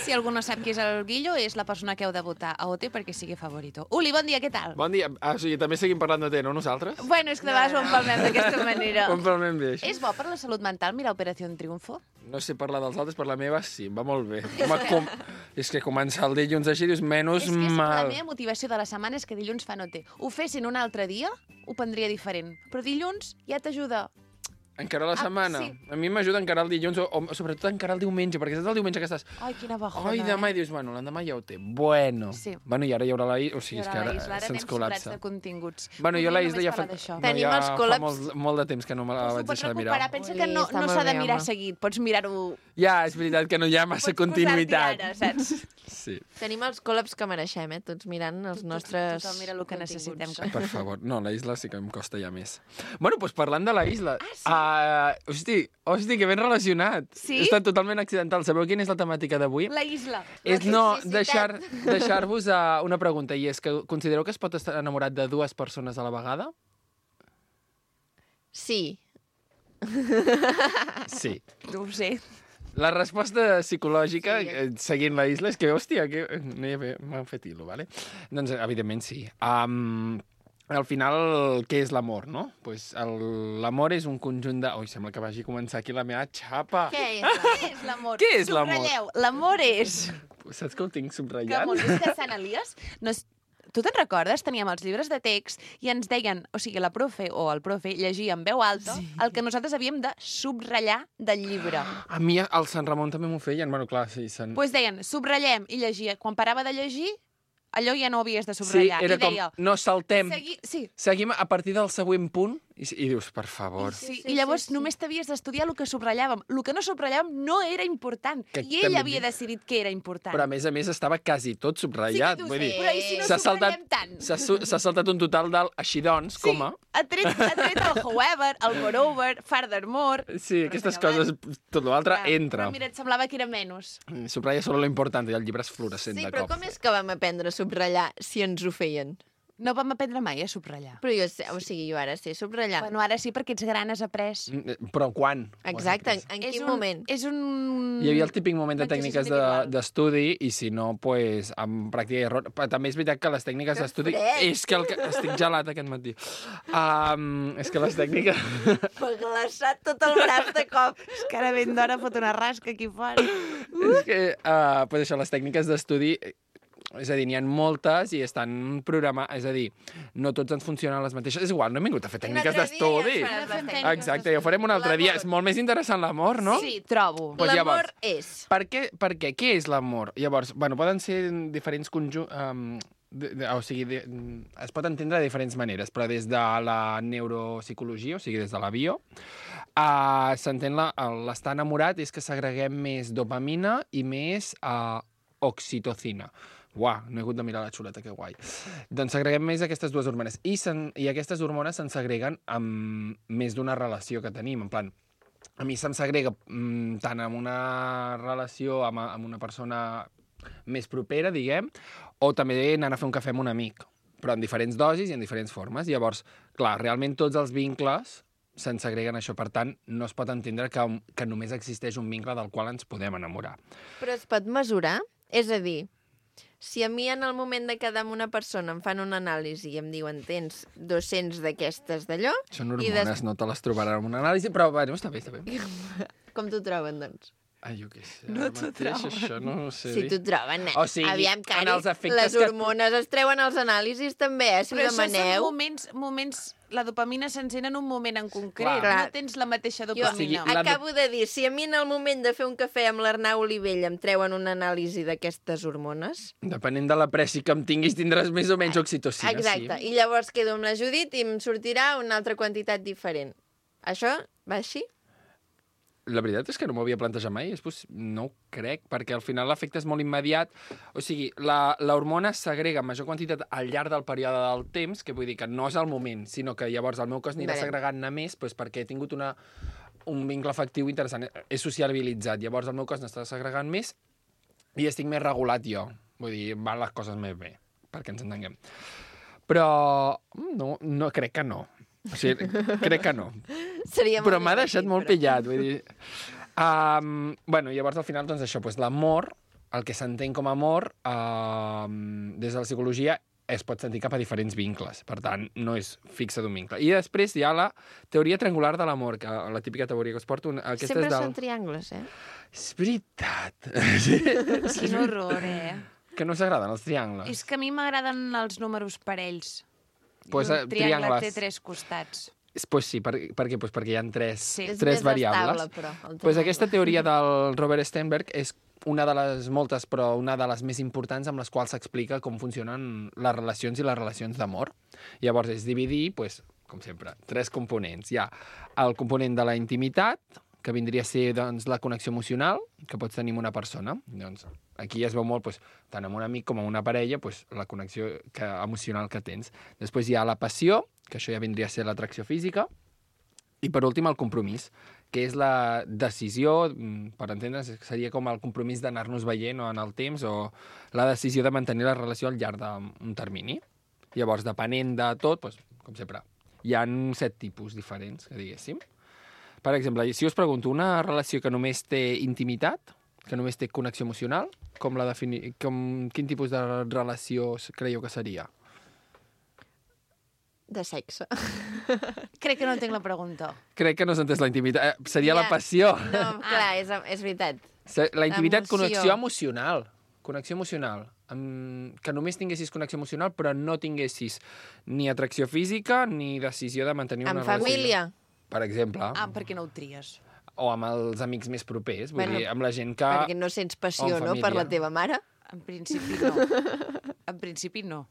Si algú no sap qui és el Guillo, és la persona que heu de votar a OT perquè sigui favorito. Uli, bon dia, què tal? Bon dia. O sigui, també seguim parlant de té, no nosaltres? Bueno, és que de vegades ho empalmem d'aquesta manera. Ho empalmem bé, això. És bo per la salut mental mirar Operació Triunfo? No sé parlar dels altres, per la meva sí, va molt bé. Home, és que començar el dilluns així, dius, menys És que la mal. meva motivació de la setmana és que dilluns fa no té. Ho fessin un altre dia, ho prendria diferent. Però dilluns ja t'ajuda. Encara la setmana? sí. A mi m'ajuda a encarar el dilluns, o sobretot a encarar el diumenge, perquè saps el diumenge que estàs... Ai, quina bajona, Ai, demà, i dius, bueno, l'endemà ja ho té. Bueno. Sí. Bueno, i ara hi haurà la isla, o sigui, és que Ara ara anem se'ns sobrats col·lapsa. de continguts. Bueno, jo la Podríem isla ja només fa... parlar d'això. Tenim els fa col·laps. molt de temps que no me la Però vaig s'ho pots deixar de mirar. recuperar. Pensa Ui, que no està molt s'ha de bé, mirar home. seguit. Pots mirar-ho... Ja, és veritat que no hi ha massa Pots continuïtat. posar-t'hi ara, saps? Sí. Tenim els col·laps que mereixem, tots mirant els nostres Tothom mira el que continguts. necessitem. Per favor. No, la isla sí que em costa ja més. Bueno, doncs parlant de la isla... Hosti, que ben relacionat. Sí? Està totalment accidental. Sabeu quina és la temàtica d'avui? La isla. És deixar-vos una pregunta, i és que considereu que es pot estar enamorat de dues persones a la vegada? Sí. Sí. No ho sé. La resposta psicològica, Sí. seguint la isla, és que, hòstia, que m'han fet hilo, ¿vale? Doncs, evidentment, sí. Al final, què és l'amor, no? Pues l'amor és un conjunt de... Ui, sembla que vagi a començar aquí la meva xapa. Què és? Què és l'amor? Què és l'amor? Subratlleu. L'amor és... Saps que ho tinc Que subratllat? molt és que Sant Elies... No és... Tu te'n recordes? Teníem els llibres de text i ens deien, o sigui, la profe o el profe llegia en veu alta el que nosaltres havíem de subratllar del llibre. A mi al Sant Ramon també m'ho feien. Bueno, clar, sí. Doncs pues deien, subratllem i llegia. Quan parava de llegir, allò ja no ho havies de Sí, subratllar. era I deia, com, no saltem. Sí. Seguim a partir del següent punt i dius, per favor. Sí, i llavors només t'havies d'estudiar el que subratllàvem. El que no subratllàvem no era important. Que I ell també havia decidit que era important. Però, a més, estava quasi tot subratllat. Sí que t'ho Vull sé, dir, però i si no s'ha saltat- subratllem tant? S'ha saltat un total del així doncs, Sí, coma. ha tret el however, el moreover, furthermore... Sí, aquestes coses, tot l'altre entra. Però mira, et semblava que era menys. Subratlla solo lo important, i el llibre és fluorescent Sí, de però cop. com és que vam aprendre a subratllar si ens ho feien? No vam aprendre mai a subratllar. Però jo sé, o sigui, jo ara sé subratllar. Bueno, ara sí, perquè ets gran, has après. Però quan? Exacte, en quin moment? És un... Hi havia el típic moment de Exercici tècniques individual. d'estudi, i si no, pues, amb pràctica i error. Però també és veritat que les tècniques d'estudi... fred! És que estic gelat aquest matí. És que les tècniques... M'ha glaçat tot el braç de cop. És que ara ben d'hora fot una rasca aquí fora. És que, pues això, les tècniques d'estudi, és a dir, n'hi ha moltes i estan programades, és a dir, no tots ens funcionen les mateixes. És igual, no hem vingut a fer tècniques d'estudi. Exacte, ja ho farem un altre dia. És molt més interessant l'amor, no? Sí, trobo. Pues L'amor llavors, és... Per què? Què és l'amor? Llavors, bueno, poden ser diferents conjunts... o sigui, es pot entendre de diferents maneres, però des de la neuropsicologia, o sigui, des de la bio, s'entén l'estar enamorat és que s'agreguem més dopamina i més oxitocina. Uau, no he hagut de mirar la xuleta, que guai. Doncs s'agreguem més aquestes dues hormones. I aquestes hormones se'n segreguen amb més d'una relació que tenim. En plan, a mi se'm segrega tant amb una relació amb una persona més propera, diguem, o també anant a fer un cafè amb un amic, però en diferents dosis i en diferents formes. Llavors, clar, realment tots els vincles se'n segreguen això. Per tant, no es pot entendre que només existeix un vincle del qual ens podem enamorar. Però es pot mesurar? És a dir, si a mi en el moment de quedar amb una persona em fan una anàlisi i em diuen tens 200 d'aquestes d'allò... Són hormones, no te les trobaran en una anàlisi, però bueno, està bé, està bé. Com t'ho troben, doncs? Ai, jo què sé. No t'ho trobes. Això no ho sé Si dir. t'ho troben, O sigui, aviam, en Cari, els efectes les hormones es treuen als anàlisis també, si ho Però això demaneu. són moments... La dopamina s'encén en un moment en concret. Clar. No tens la mateixa Jo dopamina. acabo de dir, si a mi en el moment de fer un cafè amb l'Arnau Olivella em treuen una anàlisi d'aquestes hormones... Depenent de la pressi que em tinguis, tindràs més o menys oxitocina, Exacte, sí. i llavors quedo amb la Judit i em sortirà una altra quantitat diferent. Això va així? La veritat és que no m'ho havia plantejat mai, no ho crec, perquè al final l'efecte és molt immediat. O sigui, l'hormona s'agrega en major quantitat al llarg del període del temps, que vull dir que no és el moment, sinó que llavors el meu cos anirà segregant-ne més perquè he tingut un vincle afectiu interessant. He sociabilitzat, llavors el meu cos n'està segregant més i estic més regulat jo. Vull dir, van les coses més bé, perquè ens entenguem. Però no crec que no. O sigui, crec que no. Seria Però molt m'ha deixat divertit, molt però. pillat, vull dir... Bueno, llavors, al final, doncs això, doncs, l'amor, el que s'entén com a amor, des de la psicologia, es pot sentir cap a diferents vincles. Per tant, no és fixa d'un vincle. I després hi ha la teoria triangular de l'amor, que la típica teoria que us porto. Aquesta Sempre és del... són triangles, eh? És veritat. Sí. Quin horror, Que no s'agraden els triangles. És que a mi m'agraden els números parells. Pues, Un triangle triangles. té 3 costats. Pues sí, per què? Pues perquè hi ha tres És tres més variables. estable, però, el Pues triangle. aquesta teoria del Robert Sternberg és una de les moltes, però una de les més importants amb les quals s'explica com funcionen les relacions i les relacions d'amor. Llavors és dividir, pues, com sempre, 3 components. Hi ha el component de la intimitat, que vindria a ser doncs, la connexió emocional que pots tenir amb una persona. Doncs, aquí es veu molt, doncs, tant amb un amic com amb una parella, doncs, la connexió emocional que tens. Després hi ha la passió, que això ja vindria a ser l'atracció física, i per últim el compromís, que és la decisió, per entendre's, seria com el compromís d'anar-nos veient o en el temps, o la decisió de mantenir la relació al llarg d'un termini. Llavors, depenent de tot, doncs, com sempre, hi ha 7 tipus diferents, que diguéssim. Per exemple, si us pregunto, una relació que només té intimitat, que només té connexió emocional, quin tipus de relació creieu que seria? De sexe. Crec que no entenc la pregunta. Crec que no s'ha entès la intimitat. Seria la passió. No, clar, és veritat. La intimitat, Emoció. connexió emocional. Connexió emocional. Que només tinguessis connexió emocional, però no tinguessis ni atracció física ni decisió de mantenir una Amb relació. família. Per exemple. Ah, per què no ho tries? O amb els amics més propers. Vull dir, amb la gent que... Perquè no sents passió, no?, per la teva mare. En principi no. En principi no.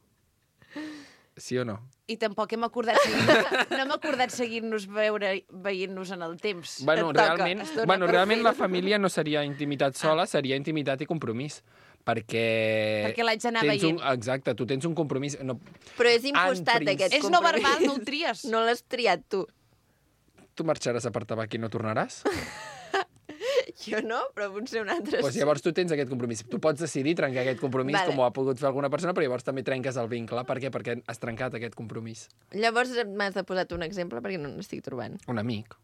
Sí o no? I tampoc no hem acordat seguir-nos veient-nos en el temps. Bueno, realment la família no seria intimitat sola, seria intimitat i compromís. Perquè l'haig d'anar veient. Exacte, tu tens un compromís. No, però és impostat, aquest compromís. És no verbal, no ho tries. No l'has triat tu. Tu marxaràs a per tabac i no tornaràs? Jo no, però potser un altre Pues llavors tu tens aquest compromís. Tu pots decidir trencar aquest compromís, com ho ha pogut fer alguna persona, però llavors també trenques el vincle. Per què? Perquè has trencat aquest compromís. Llavors m'has de posar un exemple perquè no n'estic trobant. Un amic.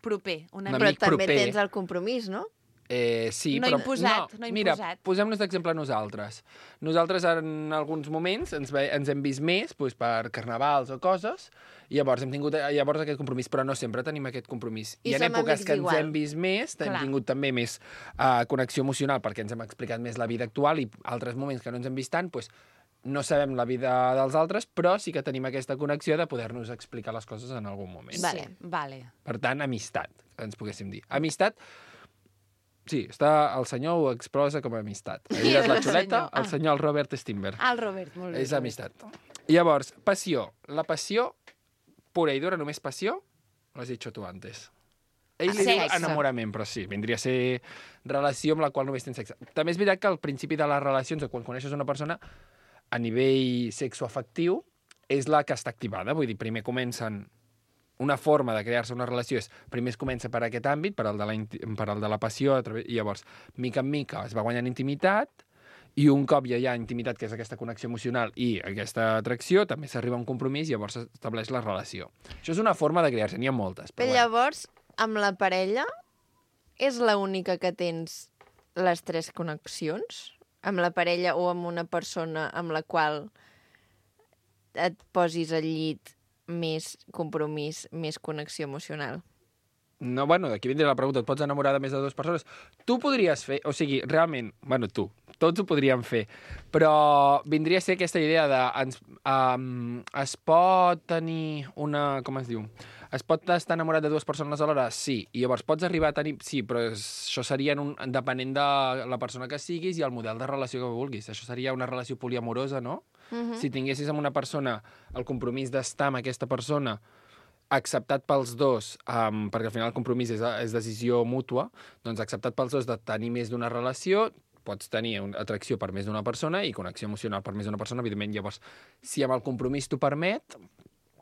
Proper. Però també tens el compromís, no? Sí, no però... imposat, no mira, imposat. posem-nos d'exemple nosaltres. Nosaltres en alguns moments ens hem vist més doncs, per carnavals o coses, i llavors hem tingut aquest compromís, però no sempre tenim aquest compromís. I en èpoques que ens hem vist més, hem tingut també més connexió emocional, perquè ens hem explicat més la vida actual, i altres moments que no ens hem vist tant, doncs, no sabem la vida dels altres, però sí que tenim aquesta connexió de poder-nos explicar les coses en algun moment. Vale. Per tant, amistat, ens poguéssim dir. Amistat, sí, el senyor ho exposa com a amistat. Ell és la xuleta, el senyor el Robert Sternberg. El Robert, molt bé. És amistat. Llavors, passió. La passió pura i dura, només passió, lo has dicho tu antes. Ell li diu enamorament, però sí, vindria a ser relació amb la qual només tens sexe. També és veritat que al principi de les relacions, o quan coneixes una persona, a nivell sexoafectiu, és la que està activada. Vull dir, primer comencen... Una forma de crear-se una relació és, primer es comença per aquest àmbit, per al de la passió, i llavors, mica en mica, es va guanyant intimitat, i un cop ja hi ha intimitat, que és aquesta connexió emocional i aquesta atracció, també s'arriba a un compromís i llavors s'estableix la relació. Això és una forma de crear-se, n'hi ha moltes. Però llavors, amb la parella, és l'única que tens les 3 connexions? Amb la parella o amb una persona amb la qual et posis al llit més compromís, més connexió emocional? No, bueno, d'aquí vindria la pregunta, et pots enamorar de més de 2 persones? Tu podries fer, o sigui, realment, bueno, tots ho podríem fer, però vindria a ser aquesta idea de es pot tenir una... com es diu? Es pot estar enamorat de 2 persones alhora? Sí. I llavors pots arribar a tenir... Sí, però això seria depenent de la persona que siguis i el model de relació que vulguis. Això seria una relació poliamorosa, no? Si tinguessis amb una persona el compromís d'estar amb aquesta persona acceptat pels dos, perquè al final el compromís és decisió mútua, doncs acceptat pels dos de tenir més d'una relació, pots tenir atracció per més d'una persona i connexió emocional per més d'una persona, evidentment. Llavors, si amb el compromís t'ho permet,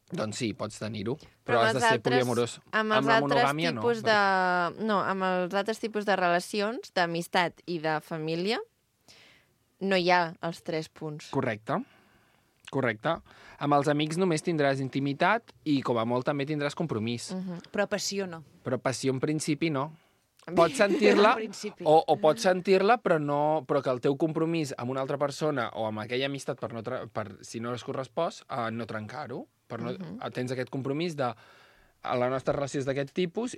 doncs sí, pots tenir-ho. Però has de ser poliamorós. Amb la monogàmia, no. Amb els altres tipus de relacions, d'amistat i de família, no hi ha els 3 punts. Correcte. Correcte. Amb els amics només tindràs intimitat i, com a molt, també tindràs compromís. Però passió no. Però passió, en principi, no. Pots sentir-la, En principi. o pots sentir-la, però que el teu compromís amb una altra persona o amb aquella amistat, si no es correspòs, no trencar-ho. Tens aquest compromís de la nostra relació és d'aquest tipus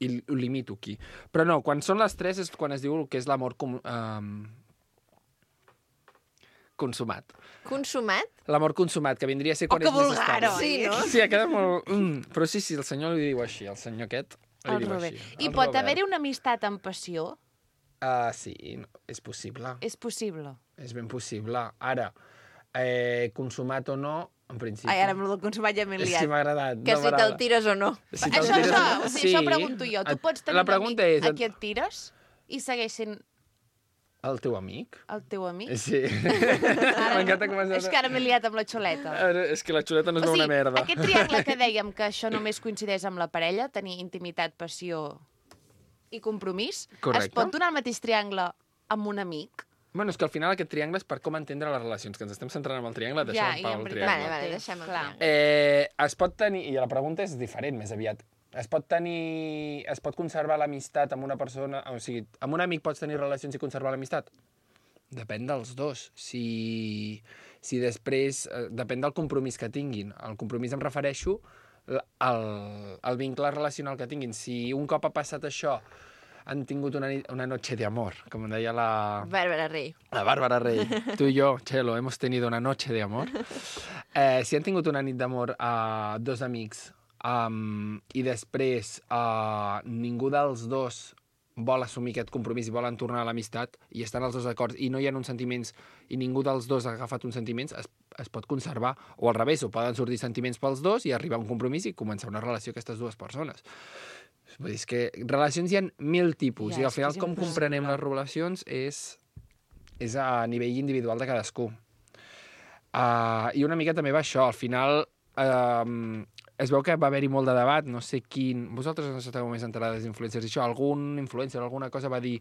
i ho limito aquí. Però no, quan són les 3 és quan es diu que és l'amor consumat. Consumat? L'amor consumat, que vindria a ser quan que és més vulgar, estable. oi? Sí, no? Sí, ha quedat molt... Però sí, el senyor li diu així, el senyor aquest li El diu Robert. així. I El pot Robert. haver-hi una amistat amb passió? Sí, és possible. És possible. És ben possible. Ara, consumat o no, en principi... Ai, ara amb el del consumat ja m'he És que liat. m'ha agradat. Que si te'l tires o no. Si te'l Això, tires o no, això pregunto jo. Tu pots tenir La un pregunta amic és... a qui et tires i segueix sent El teu amic? el teu amic? Sí. M'encanta com has... És que ara m'he liat amb la xuleta. És que la xuleta no es O veu sigui, una merda. aquest triangle que dèiem que això només coincideix amb la parella, tenir intimitat, passió i compromís, Correcte. es pot donar el mateix triangle amb un amic? Bueno, és que al final aquest triangle és per com entendre les relacions, que ens estem centrant en el triangle, deixem Ja, en i pau en el veritat. triangle. Vale, deixem el Clar. triangle. Es pot tenir, i la pregunta és diferent més aviat, es pot conservar l'amistat amb una persona, o sigui, amb un amic pots tenir relacions i conservar l'amistat? Depèn dels dos. Si després... Depèn del compromís que tinguin. El compromís em refereixo al vincle relacional que tinguin. Si un cop ha passat això han tingut una noche de amor, com deia la... Bàrbara Rey. La Bárbara Rey. Tú y yo, Chelo, hemos tenido una noche de amor. Si han tingut una nit d'amor a dos amics i després ningú dels dos vol assumir aquest compromís i volen tornar a l'amistat i estan els dos d'acord i no hi ha uns sentiments i ningú dels dos ha agafat uns sentiments, es pot conservar. O al revés, o poden sortir sentiments pels dos i arribar a un compromís i començar una relació amb aquestes dues persones. Vull dir, és que relacions hi ha 1000 tipus Ja, i al és que final és com impossible. comprenem les relacions és a nivell individual de cadascú. I una mica també va això. Al final es veu que va haver-hi molt de debat, no sé quin... Vosaltres no esteu més enterades d'influencers i això. Algun influencer, alguna cosa va dir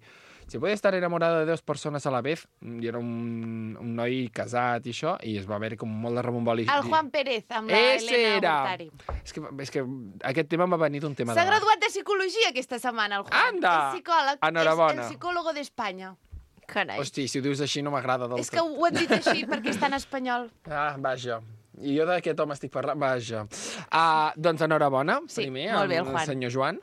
si puede estar enamorado de 2 persones a la vez, i era un noi casat i això, i es va haver com molt de rebomboli. El Juan Pérez, amb la Ese Elena era. Bontari. És que aquest tema em va venir d'un tema S'ha de... graduat de psicologia aquesta setmana, el Juan. Anda! És psicòleg, Enhorabona. és el psicòlogo d'Espanya. Carai. Hosti, si ho dius així no m'agrada del És que ho hem dit així perquè està en espanyol. Vaja. I jo d'aquest home estic parlant... Vaja. Doncs enhorabona, Sí, primer, molt bé, el al Juan. senyor Joan.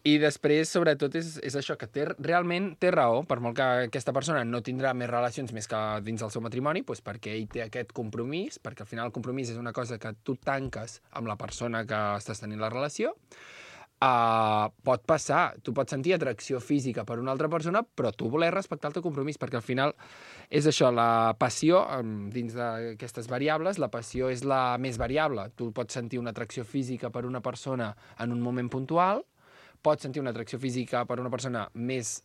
I després, sobretot, és això, que realment té raó, per molt que aquesta persona no tindrà més relacions més que dins del seu matrimoni, doncs perquè ell té aquest compromís, perquè al final el compromís és una cosa que tu tanques amb la persona que estàs tenint la relació. Pot passar, tu pots sentir atracció física per una altra persona, però tu voler respectar el teu compromís, perquè al final és això, la passió, dins d'aquestes variables, la passió és la més variable. Tu pots sentir una atracció física per una persona en un moment puntual, pots sentir una atracció física per una persona més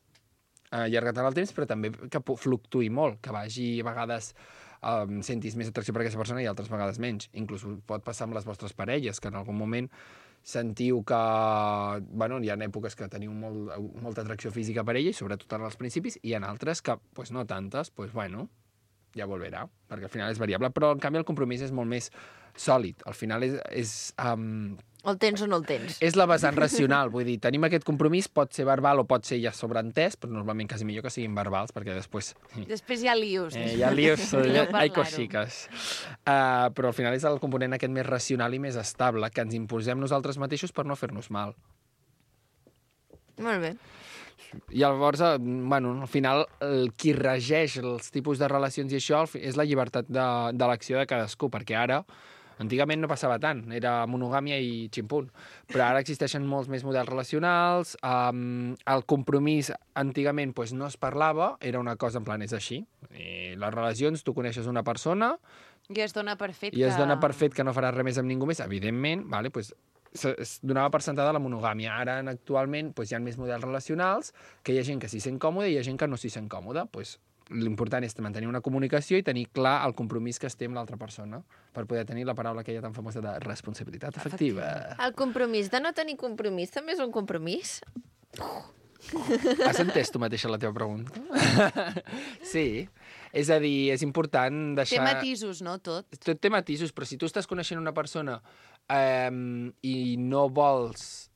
allargat en el temps, però també que fluctuï molt, que vagi a vegades sentis més atracció per aquesta persona i altres vegades menys. Inclús pot passar amb les vostres parelles, que en algun moment sentiu que... Bueno, hi ha èpoques que teniu molta atracció física per ella, i sobretot en els principis, i en altres que, pues, no tantes, pues, bueno, ja volverà, perquè al final és variable, però en canvi el compromís és molt més sòlid. Al final O el tens o no el tens. és la vessant racional, vull dir, tenim aquest compromís, pot ser verbal o pot ser ja sobreentès, però normalment quasi millor que siguin verbals, perquè després... Després hi ha lius. hi ha líos, Millor hay parlar-ho. cosiques. Però al final és el component aquest més racional i més estable, que ens imposem nosaltres mateixos per no fer-nos mal. Molt bé. I llavors, bueno, al final, qui regeix els tipus de relacions i això és la llibertat d'elecció de cadascú, perquè ara, antigament no passava tant, era monogàmia i ximpunt, però ara existeixen molts més models relacionals, el compromís antigament pues, no es parlava, era una cosa en plan, és així. I les relacions, tu coneixes una persona I es dona per fet i es dona per fet que no faràs res més amb ningú més, evidentment, vale, pues, es donava per sentada la monogàmia. Ara, actualment, pues, hi ha més models relacionals, que hi ha gent que s'hi sent còmode i hi ha gent que no s'hi sent còmode. Pues, l'important és mantenir una comunicació i tenir clar el compromís que es té amb l'altra persona per poder tenir la paraula aquella tan famosa de responsabilitat afectiva. El compromís de no tenir compromís també és un compromís? Has entès tu mateixa la teva pregunta? Sí. És a dir, és important deixar... Té matisos, no, tot? Tot té matisos, però si tu estàs coneixent una persona i no vols...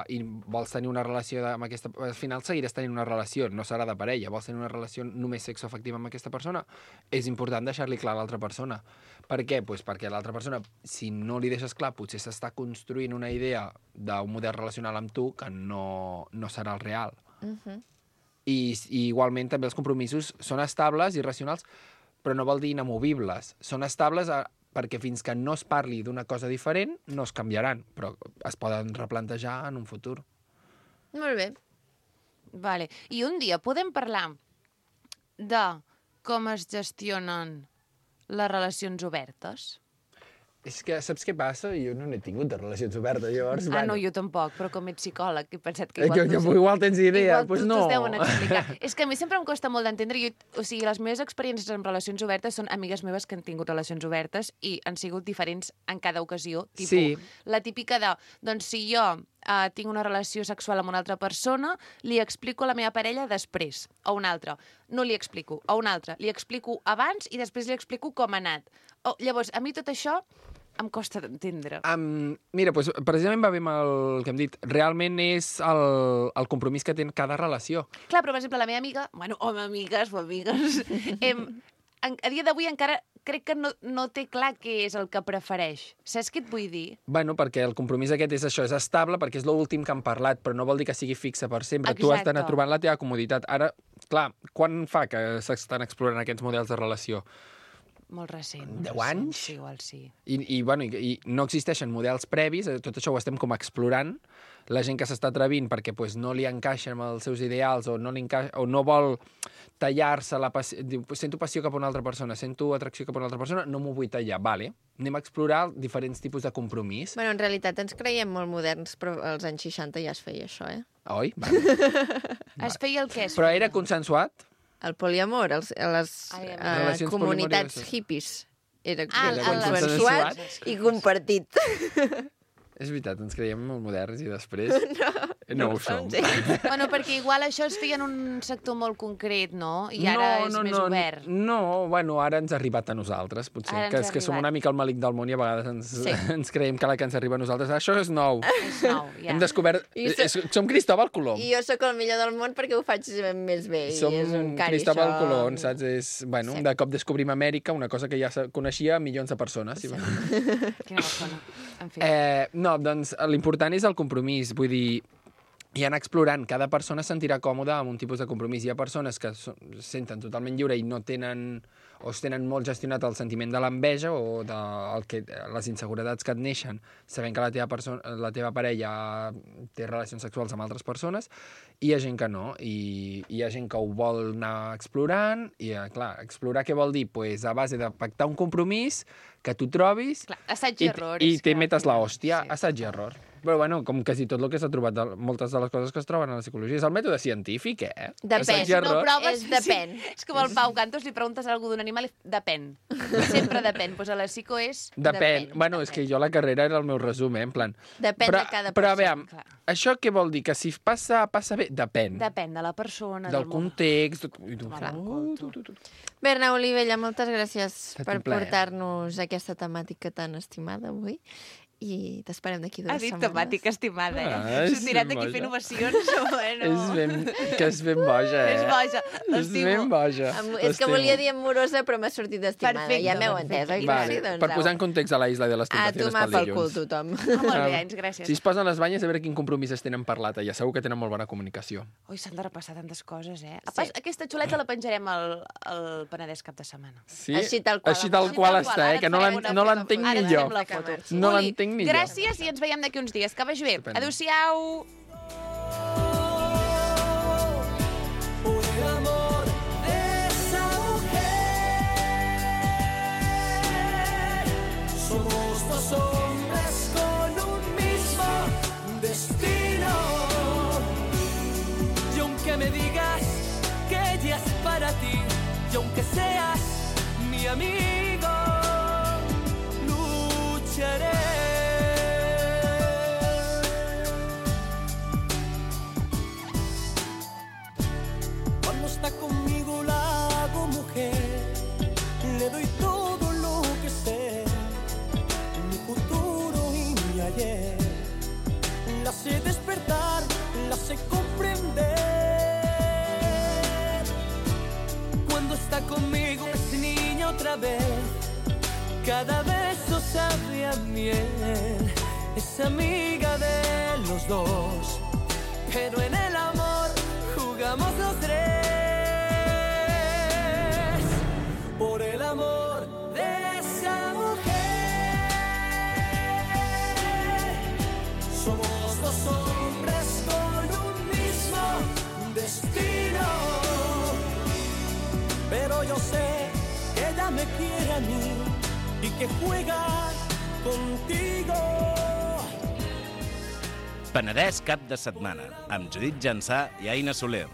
i vols tenir una relació amb aquesta... Al final seguiràs tenint una relació, no serà de parella, vols tenir una relació només sexoafectiva amb aquesta persona, és important deixar-li clar a l'altra persona. Per què? Pues perquè l'altra persona, si no li deixes clar, potser s'està construint una idea d'un model relacional amb tu que no serà el real. I igualment també els compromisos són estables i racionals, però no vol dir inamovibles. Són estables perquè fins que no es parli d'una cosa diferent no es canviaran, però es poden replantejar en un futur. Molt bé. Vale. I un dia podem parlar de com es gestionen les relacions obertes? És que saps què passa? Jo no n'he tingut de relacions obertes, llavors... No, jo tampoc, però com ets psicòleg, he pensat que igual... Igual tens idea, doncs no. Igual deuen explicar. És que a mi sempre em costa molt d'entendre. O sigui, les meves experiències en relacions obertes són amigues meves que han tingut relacions obertes i han sigut diferents en cada ocasió. Sí. La típica de, doncs si jo tinc una relació sexual amb una altra persona, li explico a la meva parella després, a una altra. No li explico, a una altra. Li explico abans i després li explico com ha anat. Llavors, a mi tot això em costa d'entendre. Mira, doncs, precisament va bé amb el que hem dit. Realment és el compromís que té cada relació. Clar, però, per exemple, la meva amiga... Bueno, amigues o amigues... a dia d'avui encara crec que no té clar què és el que prefereix. Saps què et vull dir? Bueno, perquè el compromís aquest és això, és estable, perquè és l'últim que han parlat, però no vol dir que sigui fixe per sempre. Exacte. Tu has d'anar trobant la teva comoditat. Ara, clar, quan fa que s'estan explorant aquests models de relació? Molt recent. 10 anys? Sí, igual sí. I no existeixen models previs, tot això ho estem com explorant. La gent que s'està atrevint perquè pues, no li encaixa amb els seus ideals o no vol tallar-se la passió. Diu, sento passió cap a una altra persona, sento atracció cap a una altra persona, no m'ho vull tallar. Vale, anem a explorar diferents tipus de compromís. Bueno, en realitat ens creiem molt moderns, però als anys 60 ja es feia això, eh? Oi? Vale. Es feia el què? Però era consensuat? El poliamor, les comunitats hippies. Era consensuat i compartit. És veritat, ens creiem molt moderns i després no ho som. Bueno, perquè igual això es feia en un sector molt concret, no? I ara és més obert. No, bueno, ara ens ha arribat a nosaltres, potser. Que som una mica el malic del món i a vegades ens creiem que la que ens arriba a nosaltres, això és nou. És nou, ja. Hem descobert... Som Cristòbal Colom. I jo sóc el millor del món perquè ho faig més bé. Som Cristòbal Colom, saps? Bueno, de cop descobrim Amèrica, una cosa que ja coneixia milions de persones. Quina persona. En fi. No, doncs l'important és el compromís, vull dir, i anar explorant. Cada persona es sentirà còmoda amb un tipus de compromís. Hi ha persones que es senten totalment lliure i no tenen, o es tenen molt gestionat el sentiment de l'enveja o de les inseguretats que et neixen, sabent que la teva parella té relacions sexuals amb altres persones, i hi ha gent que no, i hi ha gent que ho vol anar explorant, i clar, explorar què vol dir? Pues a base de pactar un compromís, que tu trobis... Clar, assaig i error. I te metes la hòstia, assaig i error. Però, bueno, com quasi tot el que s'ha trobat, moltes de les coses que es troben a la psicologia, és el mètode científic, eh? Depèn. Si no proves, depèn. És com el Pau Cantos, li preguntes alguna d'un animal, depèn. Sempre depèn. Pues a la psico és... Depèn. Bueno, és que jo la carrera era el meu resum, en plan... Depèn de cada persona. Però, a veure, això què vol dir? Que si passa bé? Depèn. Depèn de la persona, del context... Berna Olivella, moltes gràcies per portar-nos aquesta temàtica tan estimada avui. I t'esperem d'aquí 2 setmanes. Ha dit temàtica estimada, eh? S'ho tirat aquí fent ovacions, bueno... És ben boja, eh? És boja, és ben boja. És que volia dir amorosa, però m'ha sortit estimada. Perfecte, ja m'heu entès, oi? Vale, per posar en context a la Isla de les Tentaciones pel dilluns. A tomar pel cul tothom. Molt bé, Anys, gràcies. Si es posen les banyes, a veure quin compromís es tenen parlat allà. Segur que tenen molt bona comunicació. Ui, s'han de repassar tantes coses, eh? Aquesta xuleta la penjarem al Penedès cap de setmana. Sí? Així tal qual està, eh? Que no l'entenc ni jo. No l'entenc ni jo. Gràcies i ens veiem d'aquí uns dies. Que vagi bé. Adéu-siau. Somos 2 hombres con un mismo destino. Y aunque me digas que ella es para ti, y aunque seas mi amigo, lucharé. está conmigo la hago mujer. Le doy todo lo que sé, mi futuro y mi ayer. La sé despertar, la sé comprender. Cuando está conmigo es niña otra vez. Cada beso sabe a miel. Es amiga de los dos, pero en el amor jugamos los tres. Por el amor de esa mujer, somos dos hombres con un mismo destino. Pero yo sé que ella me quiere a mí y que juega contigo. Penedès cap de setmana, amb Judit Jansà i Aina Soler.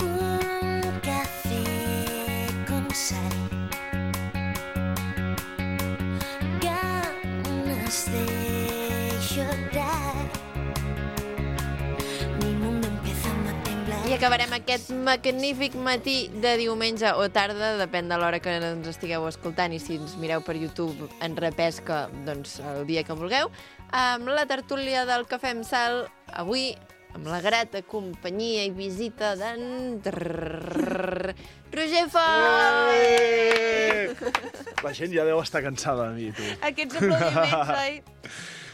Un café con sal, ganas de llorar, mi mundo empezando a temblar. I acabarem aquest magnífic matí de diumenge o tarda, depèn de l'hora que ens estigueu escoltant, i si ens mireu per YouTube en repesca, doncs el dia que vulgueu, amb la tertúlia del Cafè amb Sal, avui amb la grata companyia i visita d'en Roger Font! La gent ja deu estar cansada de mi, tu. Aquests aplaudiments, oi?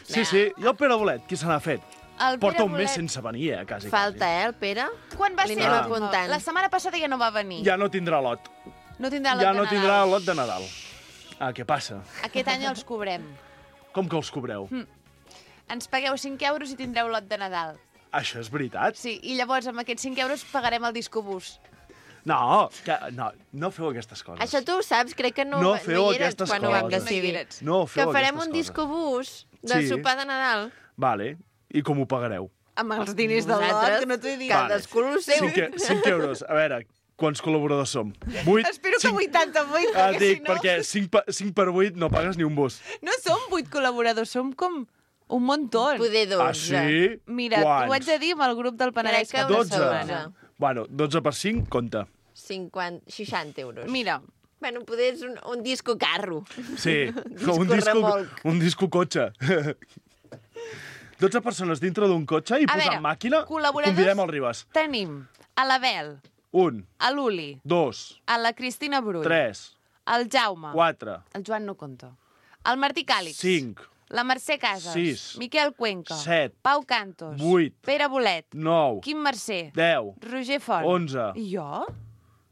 Sí, i el Pere Bolet, qui se n'ha fet? El Porta Pere un mes Bolet. sense venir, quasi. Falta, el Pere? Quan va Li ser? anem apuntant. La setmana passada ja no va venir. Ja no tindrà lot. No tindrà lot Ja de no Nadal. tindrà lot de Nadal. Ah, què passa? Aquest any els cobrem. Com que els cobreu? Ens pagueu 5 euros i tindreu lot de Nadal. Això és veritat? Sí, i llavors amb aquests 5 euros pagarem el discobús. No, no feu aquestes coses. Això tu ho saps, crec que no feu hi eres aquestes quan ho vam coses. decidir. No feu Que farem aquestes un coses. discobús de Sí. sopar de Nadal. Vale, i com ho pagareu? Amb els diners del lot, que no t'ho he dit. Cadascú el seu. 5 euros. A veure, quants col·laboradors som? 8? Espero que 88, Ah, perquè dic, si no... perquè 5 per 8 no pagues ni un bus. No som 8 col·laboradors, som com un muntó. Poder 12. Ah, sí? Mira, Quants? t'ho haig de dir amb el grup del Penedès. Crec que una 12. setmana. Bueno, 12 per 5, compta. 60 euros. Mira, Bueno, poder és un disco carro. Sí, remolc. un disco cotxe. 12 persones dintre d'un cotxe i A posant veure, màquina, col·laboradors- convidem el Ribas. tenim a l'Abel, 1, a l'Uli, 2, a la Cristina Brull, 3, al Jaume, 4, el Joan no compta, el Martí Càlix, 5, la Mercè Casas, 6, Miquel Cuenca, 7, Pau Cantos, 8, Pere Bolet, 9, Quim Mercè, 10, Roger Font. 11. I jo?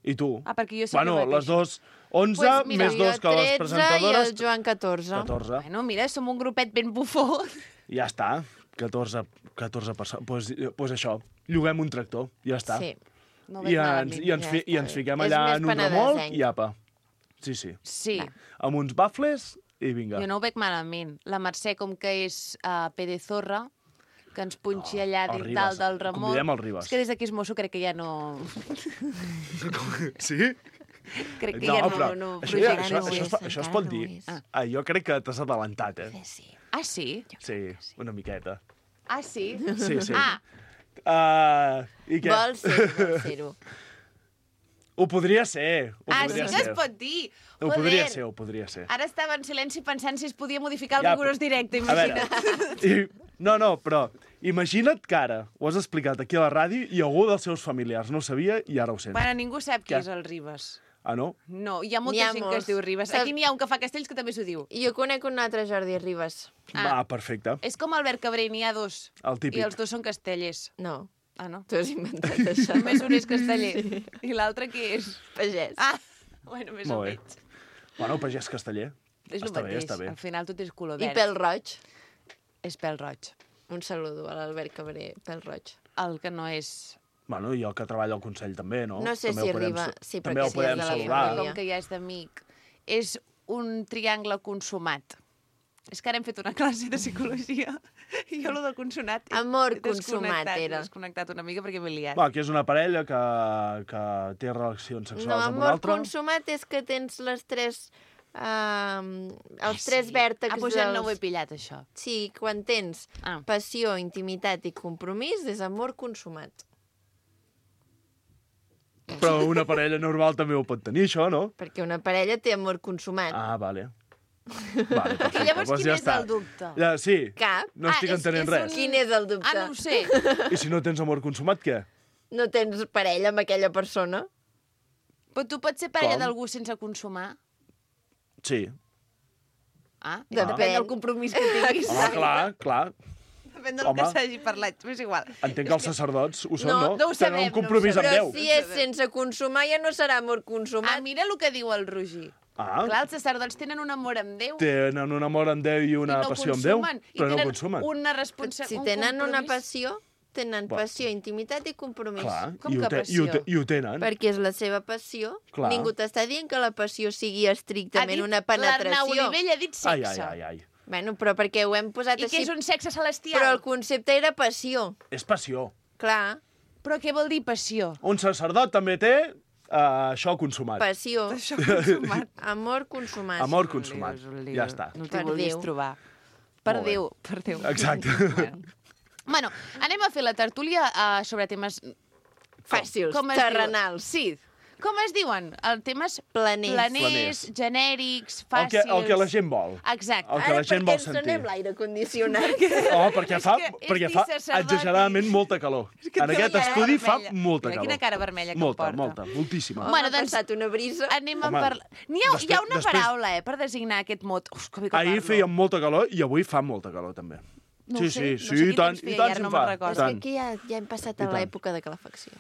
I tu? Ah, perquè jo sé Bueno, que les dos, 11 Pues mira, més 2 que les 13 i presentadores. el Joan 14. 14. Bueno, mira, som un grupet ben bufó. Ja està. 14 persones. Pues això, lloguem un tractor, ja està. Sí. No I veig ens, malament. i ens, ja fi, I està ens bé. fiquem És allà més en un remolc penedesenc. i apa. Sí, sí. Sí, Amb uns bafles i vinga. jo no ho veig malament. La Mercè, com que és pedezorra, que ens punxi allà el dins Ribas. dalt del remolc. Convidem el Ribas. És que des d'aquí és mosso, crec que ja no... Sí? Crec que ja no això, projecta. això es pot dir. Jo crec que t'has adelantat, eh? Ah, sí? Sí, una miqueta. Ah, sí? Sí, sí. Ah, I què? Vols ser-ho. Ho podria ser. Ho sí podria que ser. es pot dir. Ho Joder. podria ser, ho podria ser. Ara estava en silenci pensant si es podia modificar el Ja, rigorós directe, A veure, imagina't. no, però imagina't que ara ho has explicat aquí a la ràdio i algú dels seus familiars no ho sabia i ara ho sent. Bueno, ningú sap qui Què? és el Ribas. Ah, no? No, hi ha molta N'hi ha gent que molts. es diu Ribas. Saps- Aquí n'hi ha un que fa castells que també s'ho diu. Jo conec un altre Jordi Ribas. Va, perfecte. És com Albert Cabré, n'hi ha dos. El típic. I els dos són castellers. No, Ah, no? tu has inventat això. Només un és casteller. Sí. I l'altre qui és? Pagès. Ah, bueno, més o Molt bé. menys. Bueno, pagès casteller. És el Està bé, mateix. està bé. Al final tot és color I verd. pèl roig. És pèl roig. Un saludo a l'Albert Cabré, pèl roig. El que no és... Bueno, i el que treballa al Consell també, no? No sé també si ho podem arriba- sa- sí, també perquè ho si podem és de la saludar. família. Com que ja és d'amic. És un triangle consumat. És que ara hem fet una classe de psicologia i jo, lo del consonat... Amor he consumat desconnectat, era. He desconnectat una mica perquè m'he liat. Va, que és una parella que té relacions No, sexuals amb un amor altre. consumat és que tens les tres els tres vèrtexs Pues ja no ho he pillat, això. Sí, quan tens passió, intimitat i compromís, és amor consumat. Però una parella normal també ho pot tenir, això, no? Perquè una parella té amor consumat. Ah, vale. Vale, perfecte. I llavors Doncs quin ja és està. el dubte? Ja, sí. Cap. No estic entenent res. Quin és el dubte? No ho sé. I si no tens amor consumat, què? No tens parella amb aquella persona? Però tu pots ser parella Com? d'algú sense consumar? Sí. Depèn del compromís que tinguis. Home, clar. Depèn del Home. que s'hagi parlat, però és igual. Entenc que els sacerdots ho són, no? No ho sabem. Tenen un compromís amb Déu. Però si és sense consumar, ja no serà amor consumat. Mira el que diu el Roger. Clar, els sacerdots tenen un amor amb Déu. Tenen un amor amb Déu i una passió amb Déu, però no consumen. Una responsabilitat. Si tenen una passió, tenen passió, intimitat i compromís. Clar, Com que passió? I ho tenen. Perquè és la seva passió. Clar. Ningú t'està dient que la passió sigui estrictament una penetració. L'Arnau Olivell ha dit sexe. Ai. Bueno, però perquè ho hem posat I així. que és un sexe celestial. Però el concepte era passió. És passió. Clar. Però què vol dir passió? Un sacerdot també té això consumat. Passió. Això consumat. Amor consumat. Amor consumat. Ja està. No t'hi vulguis trobar. Per Molt bé. Déu, per Déu. Exacte. Bueno, anem a fer la tertúlia sobre temes... Fàcils, com es terrenals. Diuen? Sí. Com es diuen? Temes Planers. genèrics, El fàcils... que la gent vol. Exacte. El que la gent vol sentir. Ara, per què ens donem l'aire condicionat? Oh, perquè fa sacerdot exageradament molta calor. En aquest estudi fa molta Mira calor. quina cara vermella que porta. Moltíssima. Bueno, doncs... passat una brisa. Anem a parlar... Hi ha una paraula, per designar aquest mot. Uf, que bé que Ahir parlo. feia molta calor i avui fa molta calor, també. No ho sé, sí, no sé i tant, quin temps feia, i tant ara se'n no fa. me'n recordo. És que aquí ja hem passat a I tant. l'època de calefacció.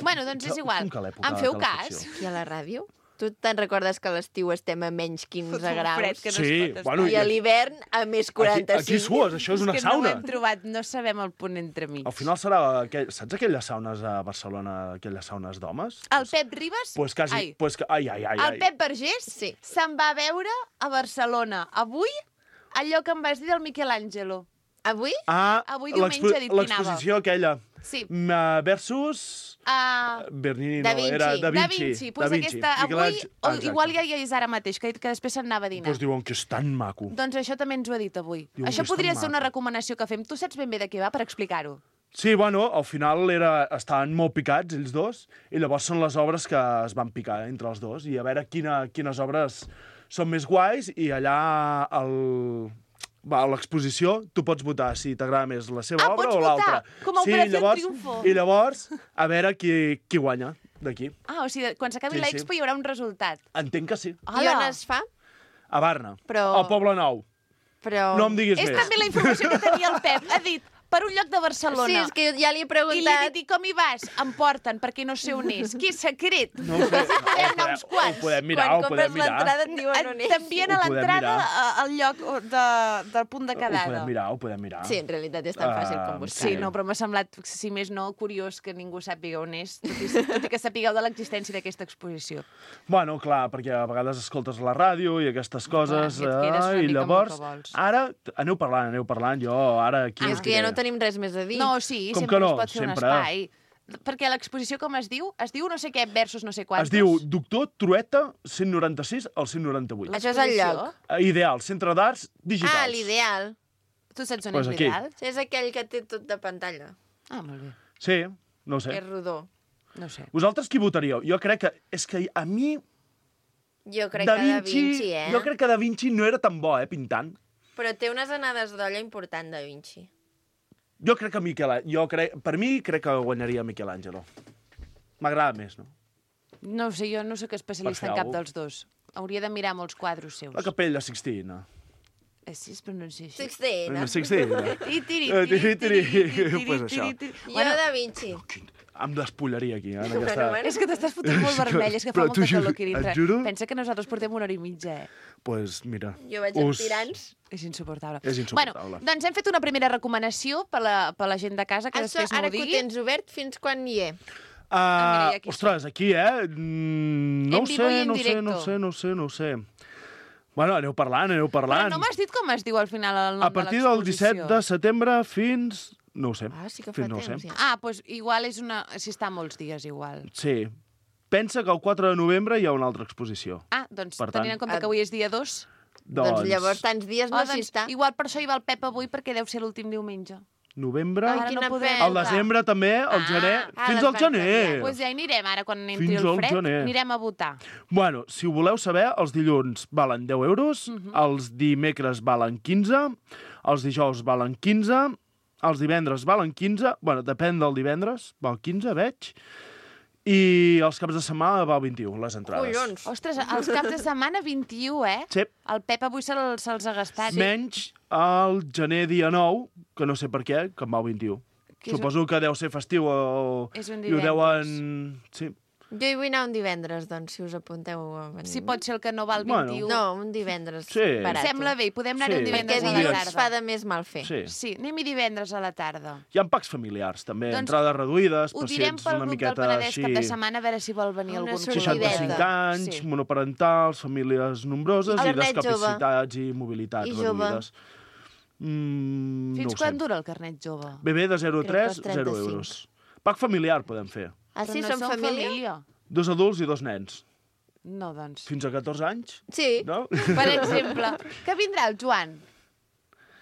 Bueno, doncs és igual. Com que l'època Em de feu calefacció? cas? I a la ràdio? Tu te'n recordes que a l'estiu estem a menys 15 graus? fred que no Sí, es pot estar. bueno, I a l'hivern a més 45. Aquí sues, això és una que sauna. no ho hem trobat, no sabem el punt entremig. Al final serà... Saps aquelles saunes a Barcelona, aquelles saunes d'homes? El Pep Ribas... Pues quasi... Ai. Pues, ai. El Pep Vergés se'n va veure a Barcelona avui allò que em vas dir del Michelangelo. Avui? Avui diumenge ha dit que anava. l'exposició aquella. Sí. Versus... Bernini, Da no, Vinci. era Da Vinci. Da Vinci. Pues Da Vinci. aquesta, avui, Exacte. igual ja hi és ara mateix, que ha dit que després se'n anava a dinar. Pues diuen que és tan maco. Doncs això també ens ho ha dit avui. Diuen Això que és tan podria ser una maco. recomanació que fem. Tu saps ben bé de què va, per explicar-ho. Sí, bueno, al final estaven molt picats, ells dos, i llavors són les obres que es van picar entre els dos, i a veure quines obres són més guais, i allà a l'exposició tu pots votar si t'agrada més la seva obra pots o l'altra. votar? Com a Operació Triunfo. I llavors, a veure qui guanya d'aquí. O sigui, quan s'acabi Sí, l'expo hi haurà un resultat. Entenc que sí. I on es fa? A Barna, Però... al Poble Nou. Però... No em diguis És més. també la informació que tenia el Pep. Ha dit, per un lloc de Barcelona. Sí, és que ja li he I li he preguntat... dit, com hi vas? Em porten, perquè no sé on és. Que és secret. No ho sé. Podem anar uns quants. Ho podem mirar, Quan ho podem compres l'entrada mirar. et diuen on és. T'envien a Ho podem l'entrada mirar. al lloc del punt de Ho quedada. podem mirar. Sí, en realitat és tan fàcil com buscar. Sí, no, però m'ha semblat, si més no, curiós que ningú sàpiga on és, tot i que sapigueu de l'existència d'aquesta exposició. Bueno, clar, perquè a vegades escoltes la ràdio i aquestes coses, Clar, et quedes una i mica amb el llavors, que vols. ara, aneu parlant, jo ara aquí... És que ja no tenim res més a dir. No, sí, Com sempre que no? es pot fer Sempre. un espai. Perquè l'exposició, com es diu? Es diu no sé què versus no sé quantos. Es diu Doctor Trueta 196 al 198. Això és el lloc. Ideal, Centre d'Arts Digitals. Ah, l'ideal. Tu saps on Pues és aquí. l'ideal? Sí, és aquell que té tot de pantalla. Ah, molt bé. Sí, no ho Que sé. és rodó. No sé. Vosaltres qui votaríeu? Jo crec que... És que a mi... Jo crec que Da Vinci, Jo crec que Da Vinci no era tan bo, pintant. Però té unes anades d'olla important, Da Vinci. Jo crec que per mi crec que guanyaria Michelangelo. M'agrada més, no? No ho sé, jo no sóc especialista en Per fer cap alguna dels dos. Hauria de mirar molts quadros seus. La Capella Sixtina. Sí, es pronuncia així. Sixtina. Sixtina. Pues això. Jo Da Vinci. Em despullaria aquí, en Bueno, aquesta... bueno. És que t'estàs fotent molt vermell, és que fa Però molta t'ho juro, calor aquí dintre. et juro. Pensa que nosaltres portem una hora i mitja, Pues mira... Jo vaig amb tirants. És insuportable. És insuportable. Bueno, doncs hem fet una primera recomanació per la gent de casa, que Això, després no ara ho que ho digui. tens obert, fins quan hi he? mira, i aquí Ostres, aquí, no En ho vivo i en sé, no ho sé. Bueno, aneu parlant. Però no m'has dit com es diu al final el nom A partir del 17 de setembre fins... No ho sé. Ah, sí que fa Fins no ho temps, sé. ja. Ah, doncs igual és una... Si està molts dies, igual. Sí. pensa que el 4 de novembre hi ha una altra exposició. Ah, doncs Per tant, tenint en compte que avui és dia 2... Doncs llavors tants dies no s'hi està. Igual per això hi va el Pep avui, perquè deu ser l'últim diumenge. Novembre... Ara no podem. Al desembre també, al gener... Fins al gener! Doncs ja hi anirem, ara, quan entri Fins el al fred, gener. anirem a votar. Bueno, si ho voleu saber, els dilluns valen 10 euros, els dimecres valen 15, els dijous valen 15, els divendres valen 15, bueno, depèn del divendres, val 15, veig, i els caps de setmana val 21, les entrades. Collons! Ostres, els caps de setmana 21, eh? Sí. El Pep avui se'ls ha gastat. Menys el gener dia 9, que no sé per què, que en val 21. Que és Suposo que deu ser festiu És un i ho deuen... Sí. Jo hi vull anar un divendres, doncs, si us apunteu a venir. Si pot ser el que no val Bueno. 21. No, un divendres Sí. barat. Sembla bé, podem anar-hi Sí. un divendres Perquè a la dilluns tarda. fa de més mal fer. Sí. Sí, anem-hi divendres a la tarda. Hi ha packs familiars, també, Doncs entrades reduïdes, Ho direm pacients pel una grup del miqueta Penedès així... cap de setmana, a veure si vol venir Una algun. sortideta. 65 anys, Sí. monoparentals, famílies nombroses El i carnet discapacitats i mobilitats I jove. reduïdes. No Fins ho quan sé. dura el carnet jove? Bebè de 0 a Crec 3, que els 0 35. euros. Pack familiar podem fer. Ah, sí? Però Som no família? 2 adults i 2 nens. No, doncs. Fins a 14 anys, Sí. no? Per exemple, que vindrà el Joan?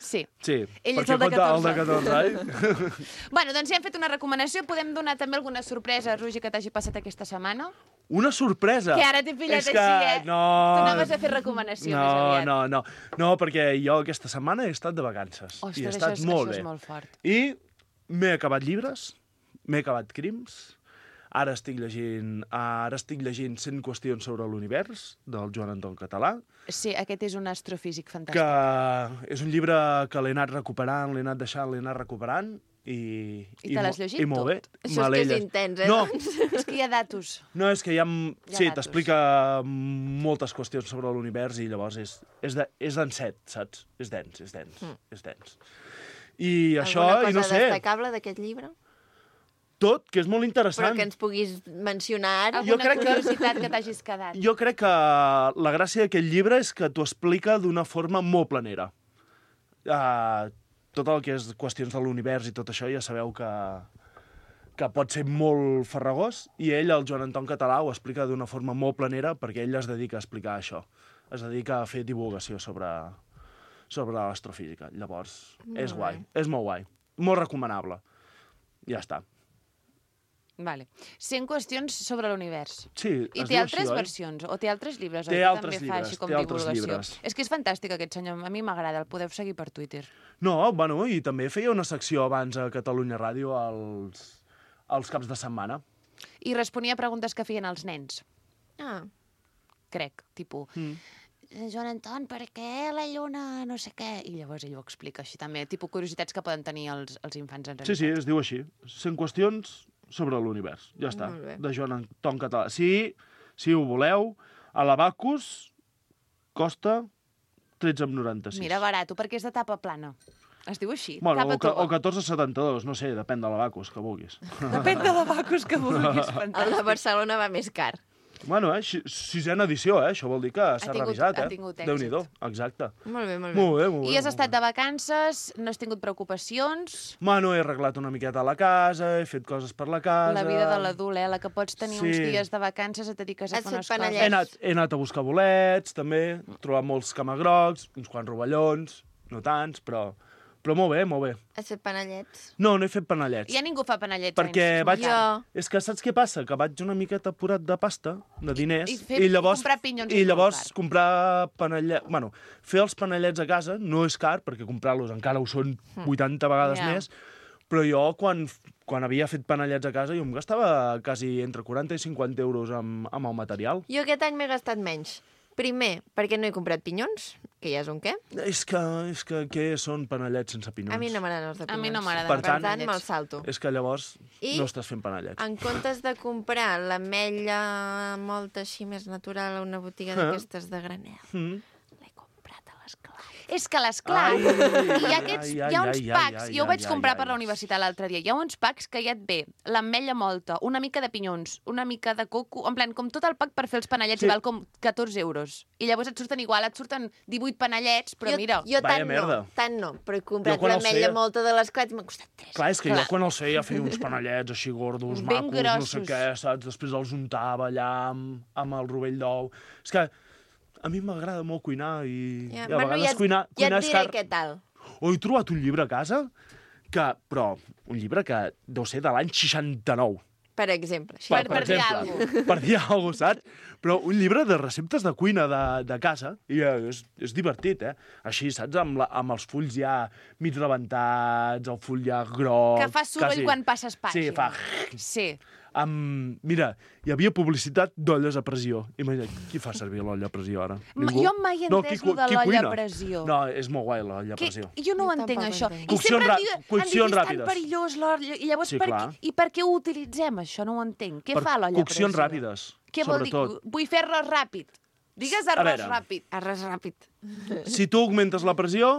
Sí. Sí, Ell és perquè el de compta el de 14 14 anys. Bueno, doncs ja hem fet una recomanació. Podem donar també alguna sorpresa, Roger, que t'hagi passat aquesta setmana? Una sorpresa! Que ara t'he pillat És així, que... No... Tu anaves a fer recomanació més aviat. No, perquè jo aquesta setmana he estat de vacances. Ostres, I he estat molt bé. això és molt fort. I m'he acabat llibres, m'he acabat crims, ara estic llegint 100 qüestions sobre l'univers, del Joan Anton Català, Sí, aquest és un astrofísic fantàstic. que és un llibre que l'he anat recuperant, l'he anat deixant, l'he anat recuperant, i te l'has llegit i molt bé. tot? Això Me és l'he que és llegit. intens, eh? No, És que hi ha datos. no, és que hi ha... Sí, datos. t'explica moltes qüestions sobre l'univers i llavors és denset, saps? És dens, és dens. I això, Alguna i no cosa sé, destacable d'aquest llibre? tot, que és molt Però interessant. que ens puguis mencionar ara. Jo Alguna crec que- curiositat que t'hagis quedat. Jo crec que la gràcia d'aquest llibre és que t'ho explica d'una forma molt planera. Tot el que és qüestions de l'univers i tot això ja sabeu que pot ser molt farragós, i ell, el Joan Anton Català, ho explica d'una forma molt planera perquè ell es dedica a explicar això. Es dedica a fer divulgació sobre l'astrofísica. Llavors, és guai, és molt guai. Molt recomanable. Ja està. Vale. 100 qüestions sobre l'univers. Sí, I es té diu altres així, oi? versions? O té altres llibres? Té oi? Que altres també fa llibres, així com té altres divulgació. llibres. És que és fantàstic aquest senyor. A mi m'agrada. El podeu seguir per Twitter. No, bueno, i també feia una secció abans a Catalunya Ràdio als caps de setmana. I responia a preguntes que feien els nens. Ah, Crec. Tipus, Joan Anton, per què la lluna no sé què? I llavors ell ho explica així també. Tipus curiositats que poden tenir els infants en realitat. Sí, es diu així. 100 qüestions sobre l'univers. Ja està. Molt bé. De Joan Anton Català. Si ho voleu, a l'Abacus costa 13,95. Mira, barato, perquè és de tapa plana. Es diu així, Bueno, tapa o tova. 14,72, no sé, depèn de l'Abacus, que vulguis. Depèn de l'abacus que vulguis, el fantàstic. de Barcelona va més car. Bueno, sisena edició, això vol dir que s'ha revisat, ha tingut èxit. Déu-n'hi-do, exacte. Molt bé, molt bé. Molt bé, molt bé. I has estat de vacances, no has tingut preocupacions... Bueno, he arreglat una miqueta la casa, he fet coses per la casa... La vida de l'adult, la que pots tenir Sí. uns dies de vacances et dediques a Has fer fet unes panellets? He anat a buscar bolets, també, he trobat molts camagrocs, uns quants rovellons, no tants, però molt bé, molt bé. Has fet panellets? No he fet panellets. Ja ningú fa panellets. Perquè nens, vaig... és molt car. És que saps què passa? Que vaig una miqueta apurat de pasta, de diners, I comprar pinyons és i molt llavors car. comprar panellets... Bueno, fer els panellets a casa no és car, perquè comprar-los encara ho són 80 vegades Ja. més, però jo, quan havia fet panellets a casa, jo em gastava quasi entre 40 i 50 euros amb el material. Jo aquest any m'he gastat menys. Primer, perquè no he comprat pinyons, que ja és un què. És que què són panellets sense pinyons? A mi no m'agraden els de A pinyons. mi no m'agraden Per els tant, panellets. me'l salto. És que llavors I- no estàs fent panellets. En comptes de comprar l'ametlla molt així més natural a una botiga d'aquestes de granel, l'he comprat a l'esclat. és que l'esclar, hi ha uns packs, jo ho vaig comprar per la universitat l'altre dia, hi ha uns packs que ja et ve l'ametlla molta, una mica de pinyons, una mica de coco, en plan, com tot el pack per fer els panellets, i val com 14 euros. I llavors et surten 18 panellets, però mira... Jo tant no, però he comprat l'ametlla molta de l'esclat i m'ha costat 3. Clar, és que jo quan els feia uns panellets així gordos, ben macos, grossos. no sé què, saps? Després els untava allà amb el rovell d'ou. És que a mi m'agrada molt cuinar i a vegades cuinar ja et és diré car. què tal. He trobat un llibre a casa, però un llibre que deu ser de l'any 69. Per exemple. Per dir alguna cosa. Per dir alguna cosa, saps? Però un llibre de receptes de cuina de casa, i és divertit, eh? Així, saps? Amb els fulls ja mig rebentats, el full ja groc... Que fa soroll quan passes pàgina. Sí, fa... Sí. Mira, hi havia publicitat d'olles a pressió. Imagina't, qui fa servir l'olla a pressió ara? Jo mai he entès lo de l'olla a pressió. No, és molt guai l'olla a pressió. Jo no ho entenc, això. I Coccions sempre han dit és tan ràpides. perillós l'olla. I llavors, per què ho utilitzem, això? No ho entenc. Què fa l'olla a pressió? Coccions ràpides, què vol dir? Vull fer arròs ràpid. Digues arròs ràpid. Arròs ràpid. Si tu augmentes la pressió,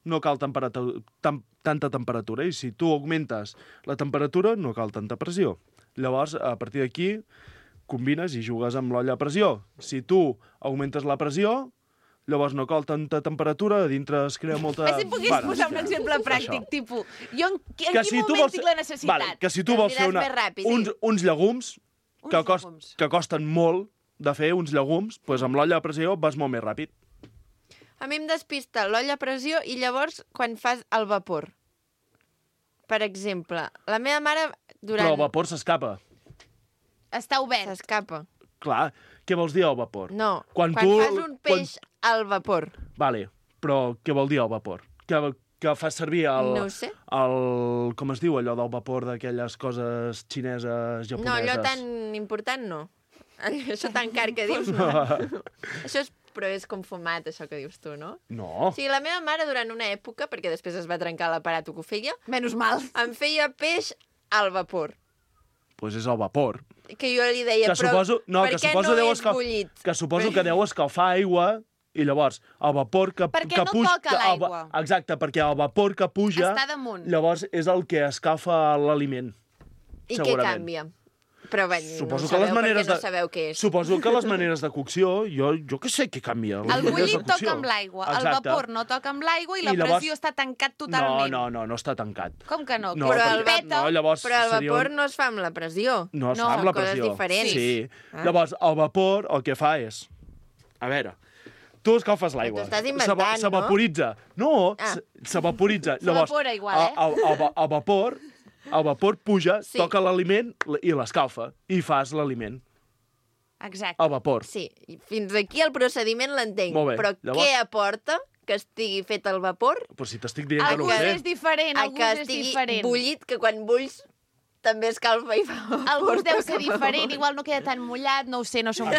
no cal tanta temperatura. I si tu augmentes la temperatura, no cal tanta pressió. Llavors, a partir d'aquí, combines i jugues amb l'olla a pressió. Si tu augmentes la pressió, llavors no cal tanta temperatura, a dintre es crea molta... Si pogués posar un exemple pràctic, tipus... Jo en quin moment tinc la necessitat? Vale, que si tu vols fer uns llegums que costen molt de fer, uns llegums, doncs amb l'olla a pressió vas molt més ràpid. A mi em despista l'olla a pressió i llavors quan fas el vapor. Per exemple, la meva mare durant... Però el vapor s'escapa. Està obert. S'escapa. Clar, què vols dir al vapor? No, quan fas un peix al vapor. Vale, però què vol dir al vapor? Que fas servir no ho sé. Com es diu allò del vapor d'aquelles coses xineses, japoneses? No, allò tan important no. Això tan car que dius no. Això però és com fumat, això que dius tu, no? No. O sigui, la meva mare durant una època, perquè després es va trencar l'aparato que ho feia... Menys mal. Em feia peix al vapor. Doncs és el vapor. Que jo li deia, per què no és bullit? Que suposo que deu escalfar aigua i llavors el vapor que puja... Perquè no toca l'aigua. Exacte, perquè el vapor que puja... Està damunt. Llavors és el que escalfa l'aliment. I què canvia? Però bé, no sabeu què és. Suposo que les maneres de cocció, jo què sé què canvia. El bullit toca amb l'aigua, el vapor no toca amb l'aigua i la pressió està tancat totalment. No està tancat. Com que no? Però el vapor no es fa amb la pressió. No es fa amb la pressió. Coses diferents. Sí. Llavors, el vapor el que fa és... A veure, tu escalfes l'aigua. T'ho estàs inventant, no? S'evaporitza. No, s'evaporitza. S'evapora igual, El vapor puja, toca l'aliment i l'escalfa. I fas l'aliment. Exacte. El vapor. Sí, fins aquí el procediment l'entenc. Però què aporta que estigui fet el vapor? Però si t'estic dient que no ho sé. Alguns és diferent, alguns és diferent. Que estigui bullit, que quan bulls també escalfa i fa vapor. Alguns deu ser diferent, igual no queda tan mullat, no ho sé, no som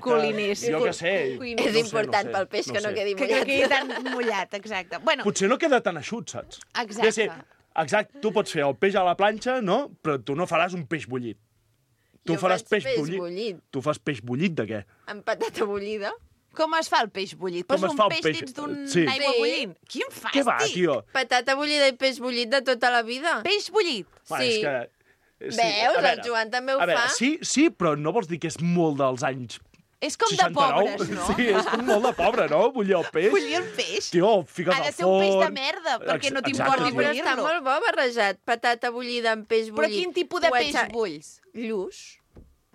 culiners. Jo què sé. És important pel peix que no quedi mullat. Que no quedi tan mullat, exacte. Potser no queda tan eixut, saps? Exacte. Exacte, tu pots fer el peix a la planxa, no? Però tu no faràs un peix bullit. Tu faràs peix bullit. Tu fas peix bullit de què? Amb patata bullida. Com es fa el peix bullit? Poses un peix dins d'una aigua bullint? Quin fàstic! Què va, tio? Patata bullida i peix bullit de tota la vida. Peix bullit? Sí. Veus, el Joan també ho fa. Sí, però no vols dir que és molt dels anys... És com 69? De pobres, no? Sí, és com molt de pobre, no? Bullir el peix. Bullir el peix? Tio, fiques al forn... Ha de ser un peix de merda, perquè no t'importi bullir-lo. Però està molt bo barrejat, patata bullida amb peix bullit. Però quin tipus de peix bulls? Lluç.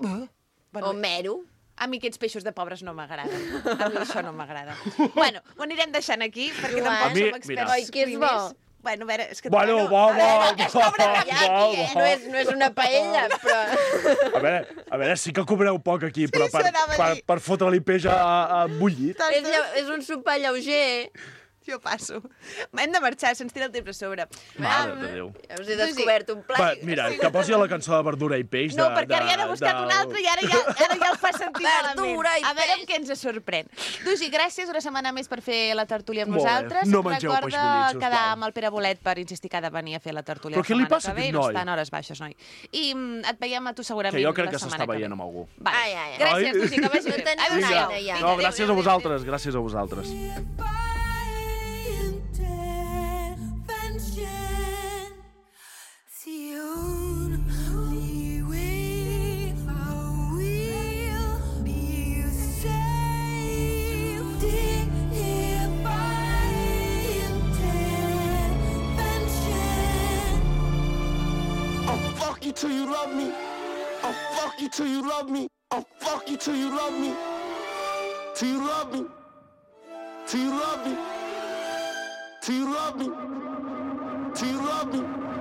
O mero. A mi aquests peixos de pobres no m'agraden. A mi això no m'agrada. Bueno, ho anirem deixant aquí, perquè tampoc som experts. Oi, que és bo. Bueno, a veure, és que... Va. No és una paella, però... A veure, sí que cobreu poc aquí, però per fotre-li peix a bullit. És un sopar lleuger. Jo passo. Hem de marxar, se'ns tira el temps a sobre. Mare de Déu. Ja us he descobert un plat. Va, mira, que posi la cançó de verdura i peix. No, perquè ara ja n'he buscat un altre i ara ja el fa sentir malament. A veure amb què ens sorprèn. Dugi, gràcies una setmana més per fer la tertúlia amb nosaltres. No mengeu peix bullit, sisplau. Recorda quedar amb el Pere Bolet per insistir que ha de venir a fer la tertúlia la setmana que ve. No està en hores baixes, noi. I et veiem a tu segurament la setmana que ve. Que jo crec que s'està veient amb algú. Gràcies, Dugi, que vagi bé. No, gràcies a vosaltres, gràcies a vosaltres. you till you love me. I'll fuck you till you love me. I'll fuck you till you love me. Till you love me. Till you love me. Till you love me. Till you love me.